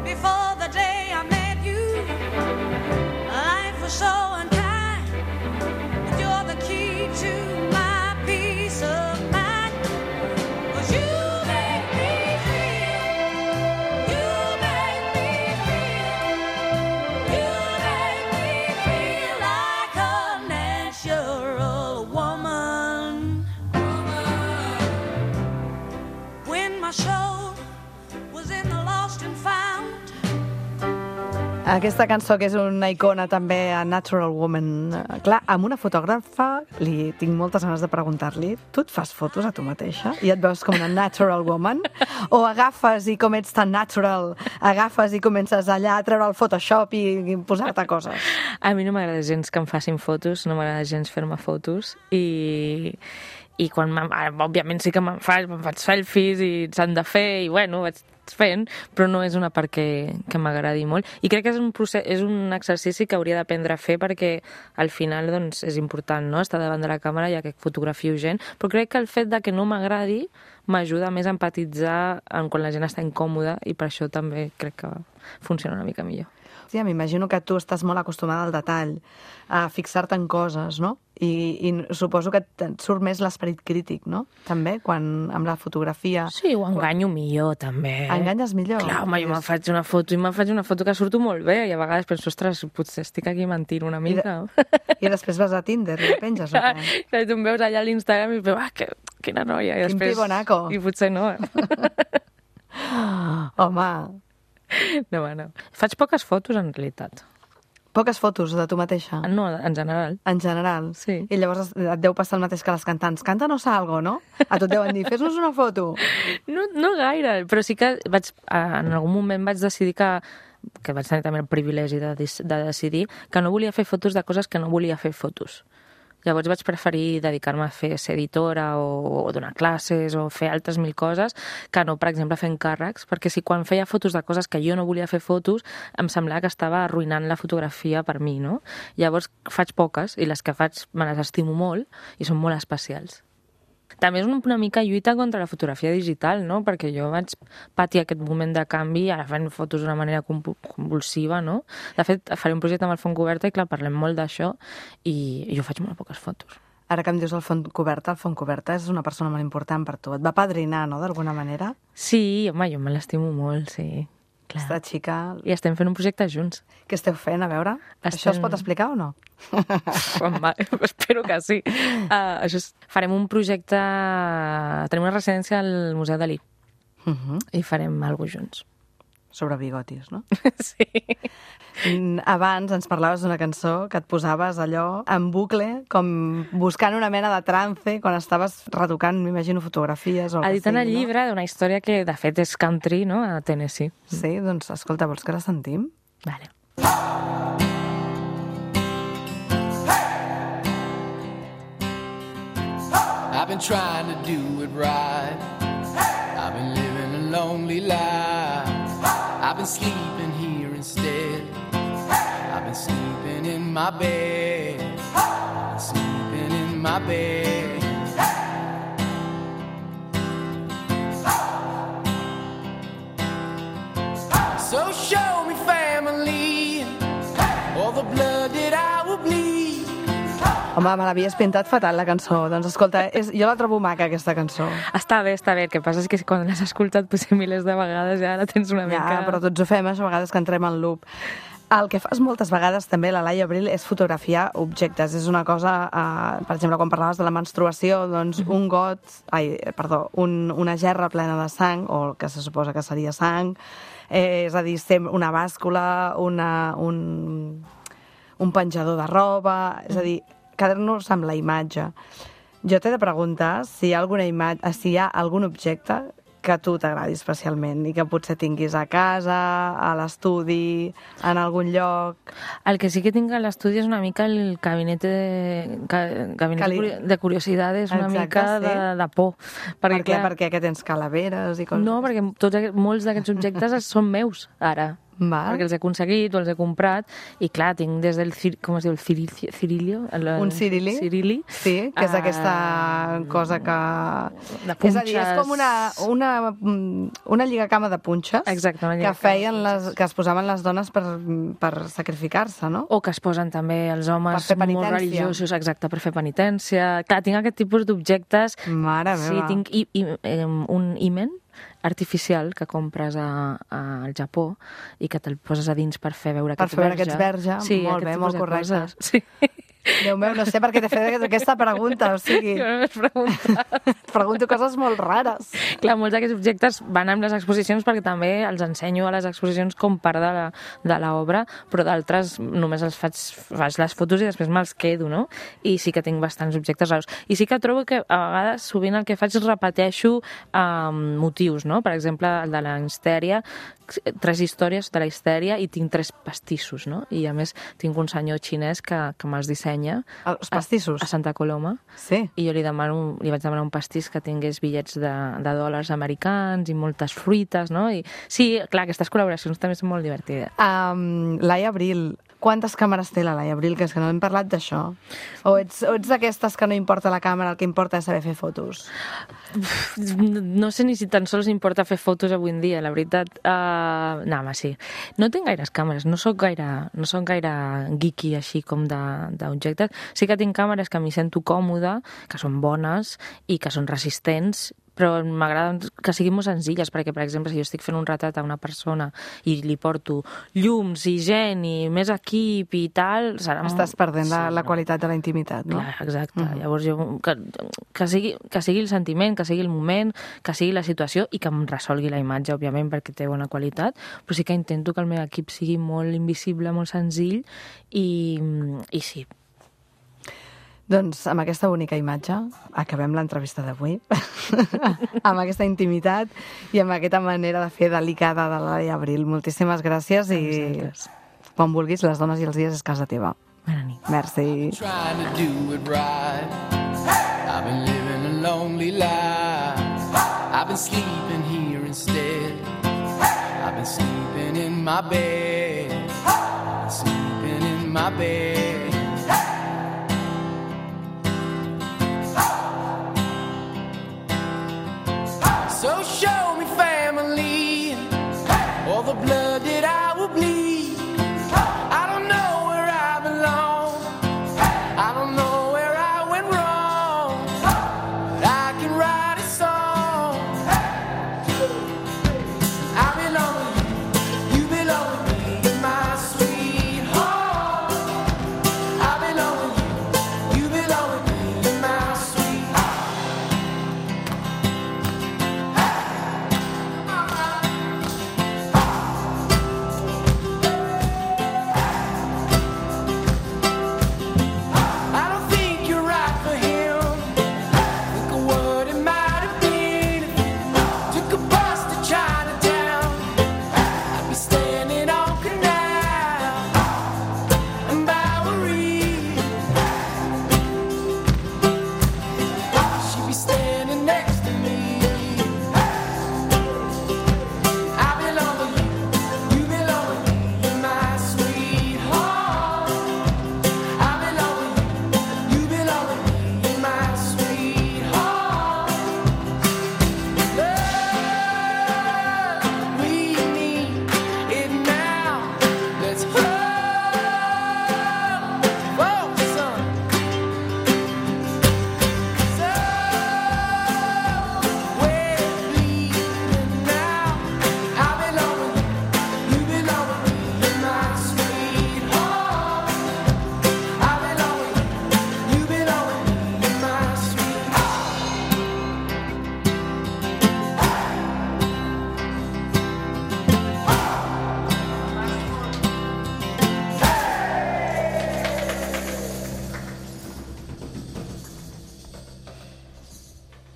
Before the day I met you, life was so unkind, but you're the key to my peace of mind. 'Cause you make me feel, you make me feel, you make me feel like a natural woman. When my soul was in the lost and found, Aquesta cançó, que és una icona també, A Natural Woman. Eh, Clar, amb una fotògrafa li tinc moltes ganes de preguntar-li, tu et fas fotos a tu mateixa i et veus com una natural woman? O agafes i com ets tan natural, agafes i comences allà a treure el Photoshop i, i posar-te coses? A mi no m'agrada gens que em facin fotos, no m'agrada gens fer-me fotos i... i quan me'n- ara, òbviament sí que me'n faig, me'n faig selfies i s'han de fer i bueno, vaig fent, però no és una part que, que m'agradi molt. I crec que és un, procés, és un exercici que hauria d'aprendre a fer perquè al final doncs, és important, no?, estar davant de la càmera ja que fotografio gent, però crec que el fet de que no m'agradi m'ajuda més a empatitzar en quan la gent està incòmoda i per això també crec que funciona una mica millor. Sí, m'imagino que tu estàs molt acostumada al detall, a fixar-te en coses, no? I, i suposo que et surt més l'esperit crític, no? També, quan amb la fotografia... Sí, ho enganyo millor, també. Enganyes millor? Clar, home, jo me'n faig una foto i me'n faig una foto que surto molt bé i a vegades penso, ostres, potser estic aquí mentint una mica. I després vas a Tinder i la penges, o què? I tu em veus allà a l'Instagram i dius, ah, que, quina noia. I Quin després, pibonaco. I potser no. Home, No, bueno. Faig poques fotos, en realitat. poques fotos de tu mateixa. No, en general. En general. Sí. I llavors et deu passar el mateix que les cantants. Canta-nos algo, no? A tu et deuen dir, fes-nos una foto. No, no gaire, però sí que vaig, en algun moment vaig decidir que que vaig tenir també el privilegi de, de decidir que no volia fer fotos de coses que no volia fer fotos. Llavors vaig preferir dedicar-me a fer ser editora o, o donar classes o fer altres mil coses que no, per exemple, fer encàrrecs, perquè si quan feia fotos de coses que jo no volia fer fotos em semblava que estava arruïnant la fotografia per mi, no? Llavors faig poques i les que faig me les estimo molt i són molt especials. També és una mica lluita contra la fotografia digital, no? Perquè jo vaig patir aquest moment de canvi, ara fent fotos d'una manera convulsiva, no? De fet, faré un projecte amb el Font Coberta i, clar, parlem molt d'això i jo faig molt poques fotos. Ara que em dius el Font Coberta, el Font Coberta és una persona molt important per tu. Et va padrinar, no?, d'alguna manera? Sí, home, jo me l'estimo molt, sí. Clar. Aquesta xica... I estem fent un projecte junts. Què esteu fent, a veure? Estem... Això es pot explicar o no? Home, espero que sí. Uh, això és... Farem un projecte... Tenim una residència al Museu Dalí. Uh -huh. I farem alguna cosa junts. Sobre bigotis, no? Sí. Abans ens parlaves d'una cançó que et posaves allò en bucle, com buscant una mena de trance quan estaves retocant, m'imagino, fotografies o el que Editant el sigui, llibre d'una història que, de fet, és country, no?, a Tennessee. no? Sí, doncs, escolta, vols que la sentim? Vale. I've been trying to do it right. I've been living a lonely life. I've been sleeping here instead. I've been sleeping in my bed. I've been sleeping in my bed. So show me family, all the blood that I will bleed. Home, me l'havies pintat fatal, la cançó. Doncs escolta, és, jo la trobo maca, aquesta cançó. Està bé, està bé. El que passa és que quan l'has escoltat potser milers de vegades ja la tens una Ja, mica... però tots ho fem, a vegades que entrem en loop. El que fas moltes vegades també, la Laia Abril, és fotografiar objectes. És una cosa, eh, per exemple, quan parlaves de la menstruació, doncs un got, ai, perdó, un, una gerra plena de sang, o el que se suposa que seria sang, eh, és a dir, una bàscula, una, un, un penjador de roba, és a dir, quedar-nos amb la imatge. Jo t'he de preguntar si hi ha, alguna imatge, si hi ha algun objecte que a tu t'agradi especialment i que potser tinguis a casa, a l'estudi, en algun lloc? El que sí que tinc a l'estudi és una mica el gabinet de, gabinet Cali... de curiositats, una Exacte, mica sí. de, de por. Perquè, per què? Perquè que tens calaveres i coses... No, perquè tots, aquests- molts d'aquests objectes són meus, ara. Val. Perquè els he aconseguit o els he comprat i clar, tinc des del cir... com es diu? El cirilio? cirilio el, Un cirili? Cirili. Sí, que és Ah, aquesta cosa que... De És a dir, és com una, una, una lligacama de punxes Exacte, una que lligacama feien les, que es posaven les dones per, per sacrificar-se, no? O que es posen també els homes Per fer molt penitència. religiosos, exacte, per fer penitència. Clar, tinc aquest tipus d'objectes. Mare Sí, meva. tinc i, i, eh, un himen artificial que compres a, a, al Japó i que te'l poses a dins per fer veure Per que ets fer veure verge. que ets verge. Sí, Molt aquest bé, tipus molt de correcte. coses. Sí. Déu meu, no sé per què t'he fet aquesta pregunta, o sigui... Jo no m'has preguntat. Et pregunto coses molt rares. Clar, molts d'aquests objectes van amb les exposicions perquè també els ensenyo a les exposicions com part de la- de l'obra, però d'altres només els faig, faig les fotos i després me'ls quedo, no? I sí que tinc bastants objectes raros. I sí que trobo que a vegades sovint el que faig és repeteixo um, motius, no? Per exemple, el de la histèria, tres històries de la histèria i tinc tres pastissos, no? I a més tinc un senyor xinès que, que me'ls dissenya. Els pastissos? A, a Santa Coloma. Sí. I jo li, demano, li vaig demanar un pastís que tingués bitllets de, de dòlars americans i moltes fruites, no? I sí, clar, aquestes col·laboracions també són molt divertides. Um, Laia Abril, quantes càmeres té la Laia Abril? Que és que no hem parlat d'això. O ets, o ets d'aquestes que no importa la càmera, el que importa és saber fer fotos? No sé ni si tan sols importa fer fotos avui en dia, la veritat. Uh, no, home, sí. No tinc gaires càmeres, no sóc gaire, no sóc gaire geeky així com de- d'objectes. Sí que tinc càmeres que m'hi sento còmode, que són bones i que són resistents, però m'agrada que siguin molt senzilles, perquè, per exemple, si jo estic fent un retrat a una persona i li porto llums i gent i més equip i tal... Serà Estàs perdent la, Sí, la no. qualitat de la intimitat, no? Clar, exacte. Mhm. Llavors, jo, que, que, sigui, que sigui el sentiment, que sigui el moment, que sigui la situació i que em resolgui la imatge, òbviament, perquè té bona qualitat, però sí que intento que el meu equip sigui molt invisible, molt senzill i, i sí. Doncs amb aquesta bonica imatge acabem l'entrevista d'avui, amb aquesta intimitat i amb aquesta manera de fer delicada de la Laia Abril. Moltíssimes gràcies i vosaltres. quan vulguis, les dones i els dies és casa teva. Bona nit. Merci. Trying to do it right. I've been living a lonely life. I've been sleeping here instead. I've been sleeping in my bed. I've been sleeping in my bed.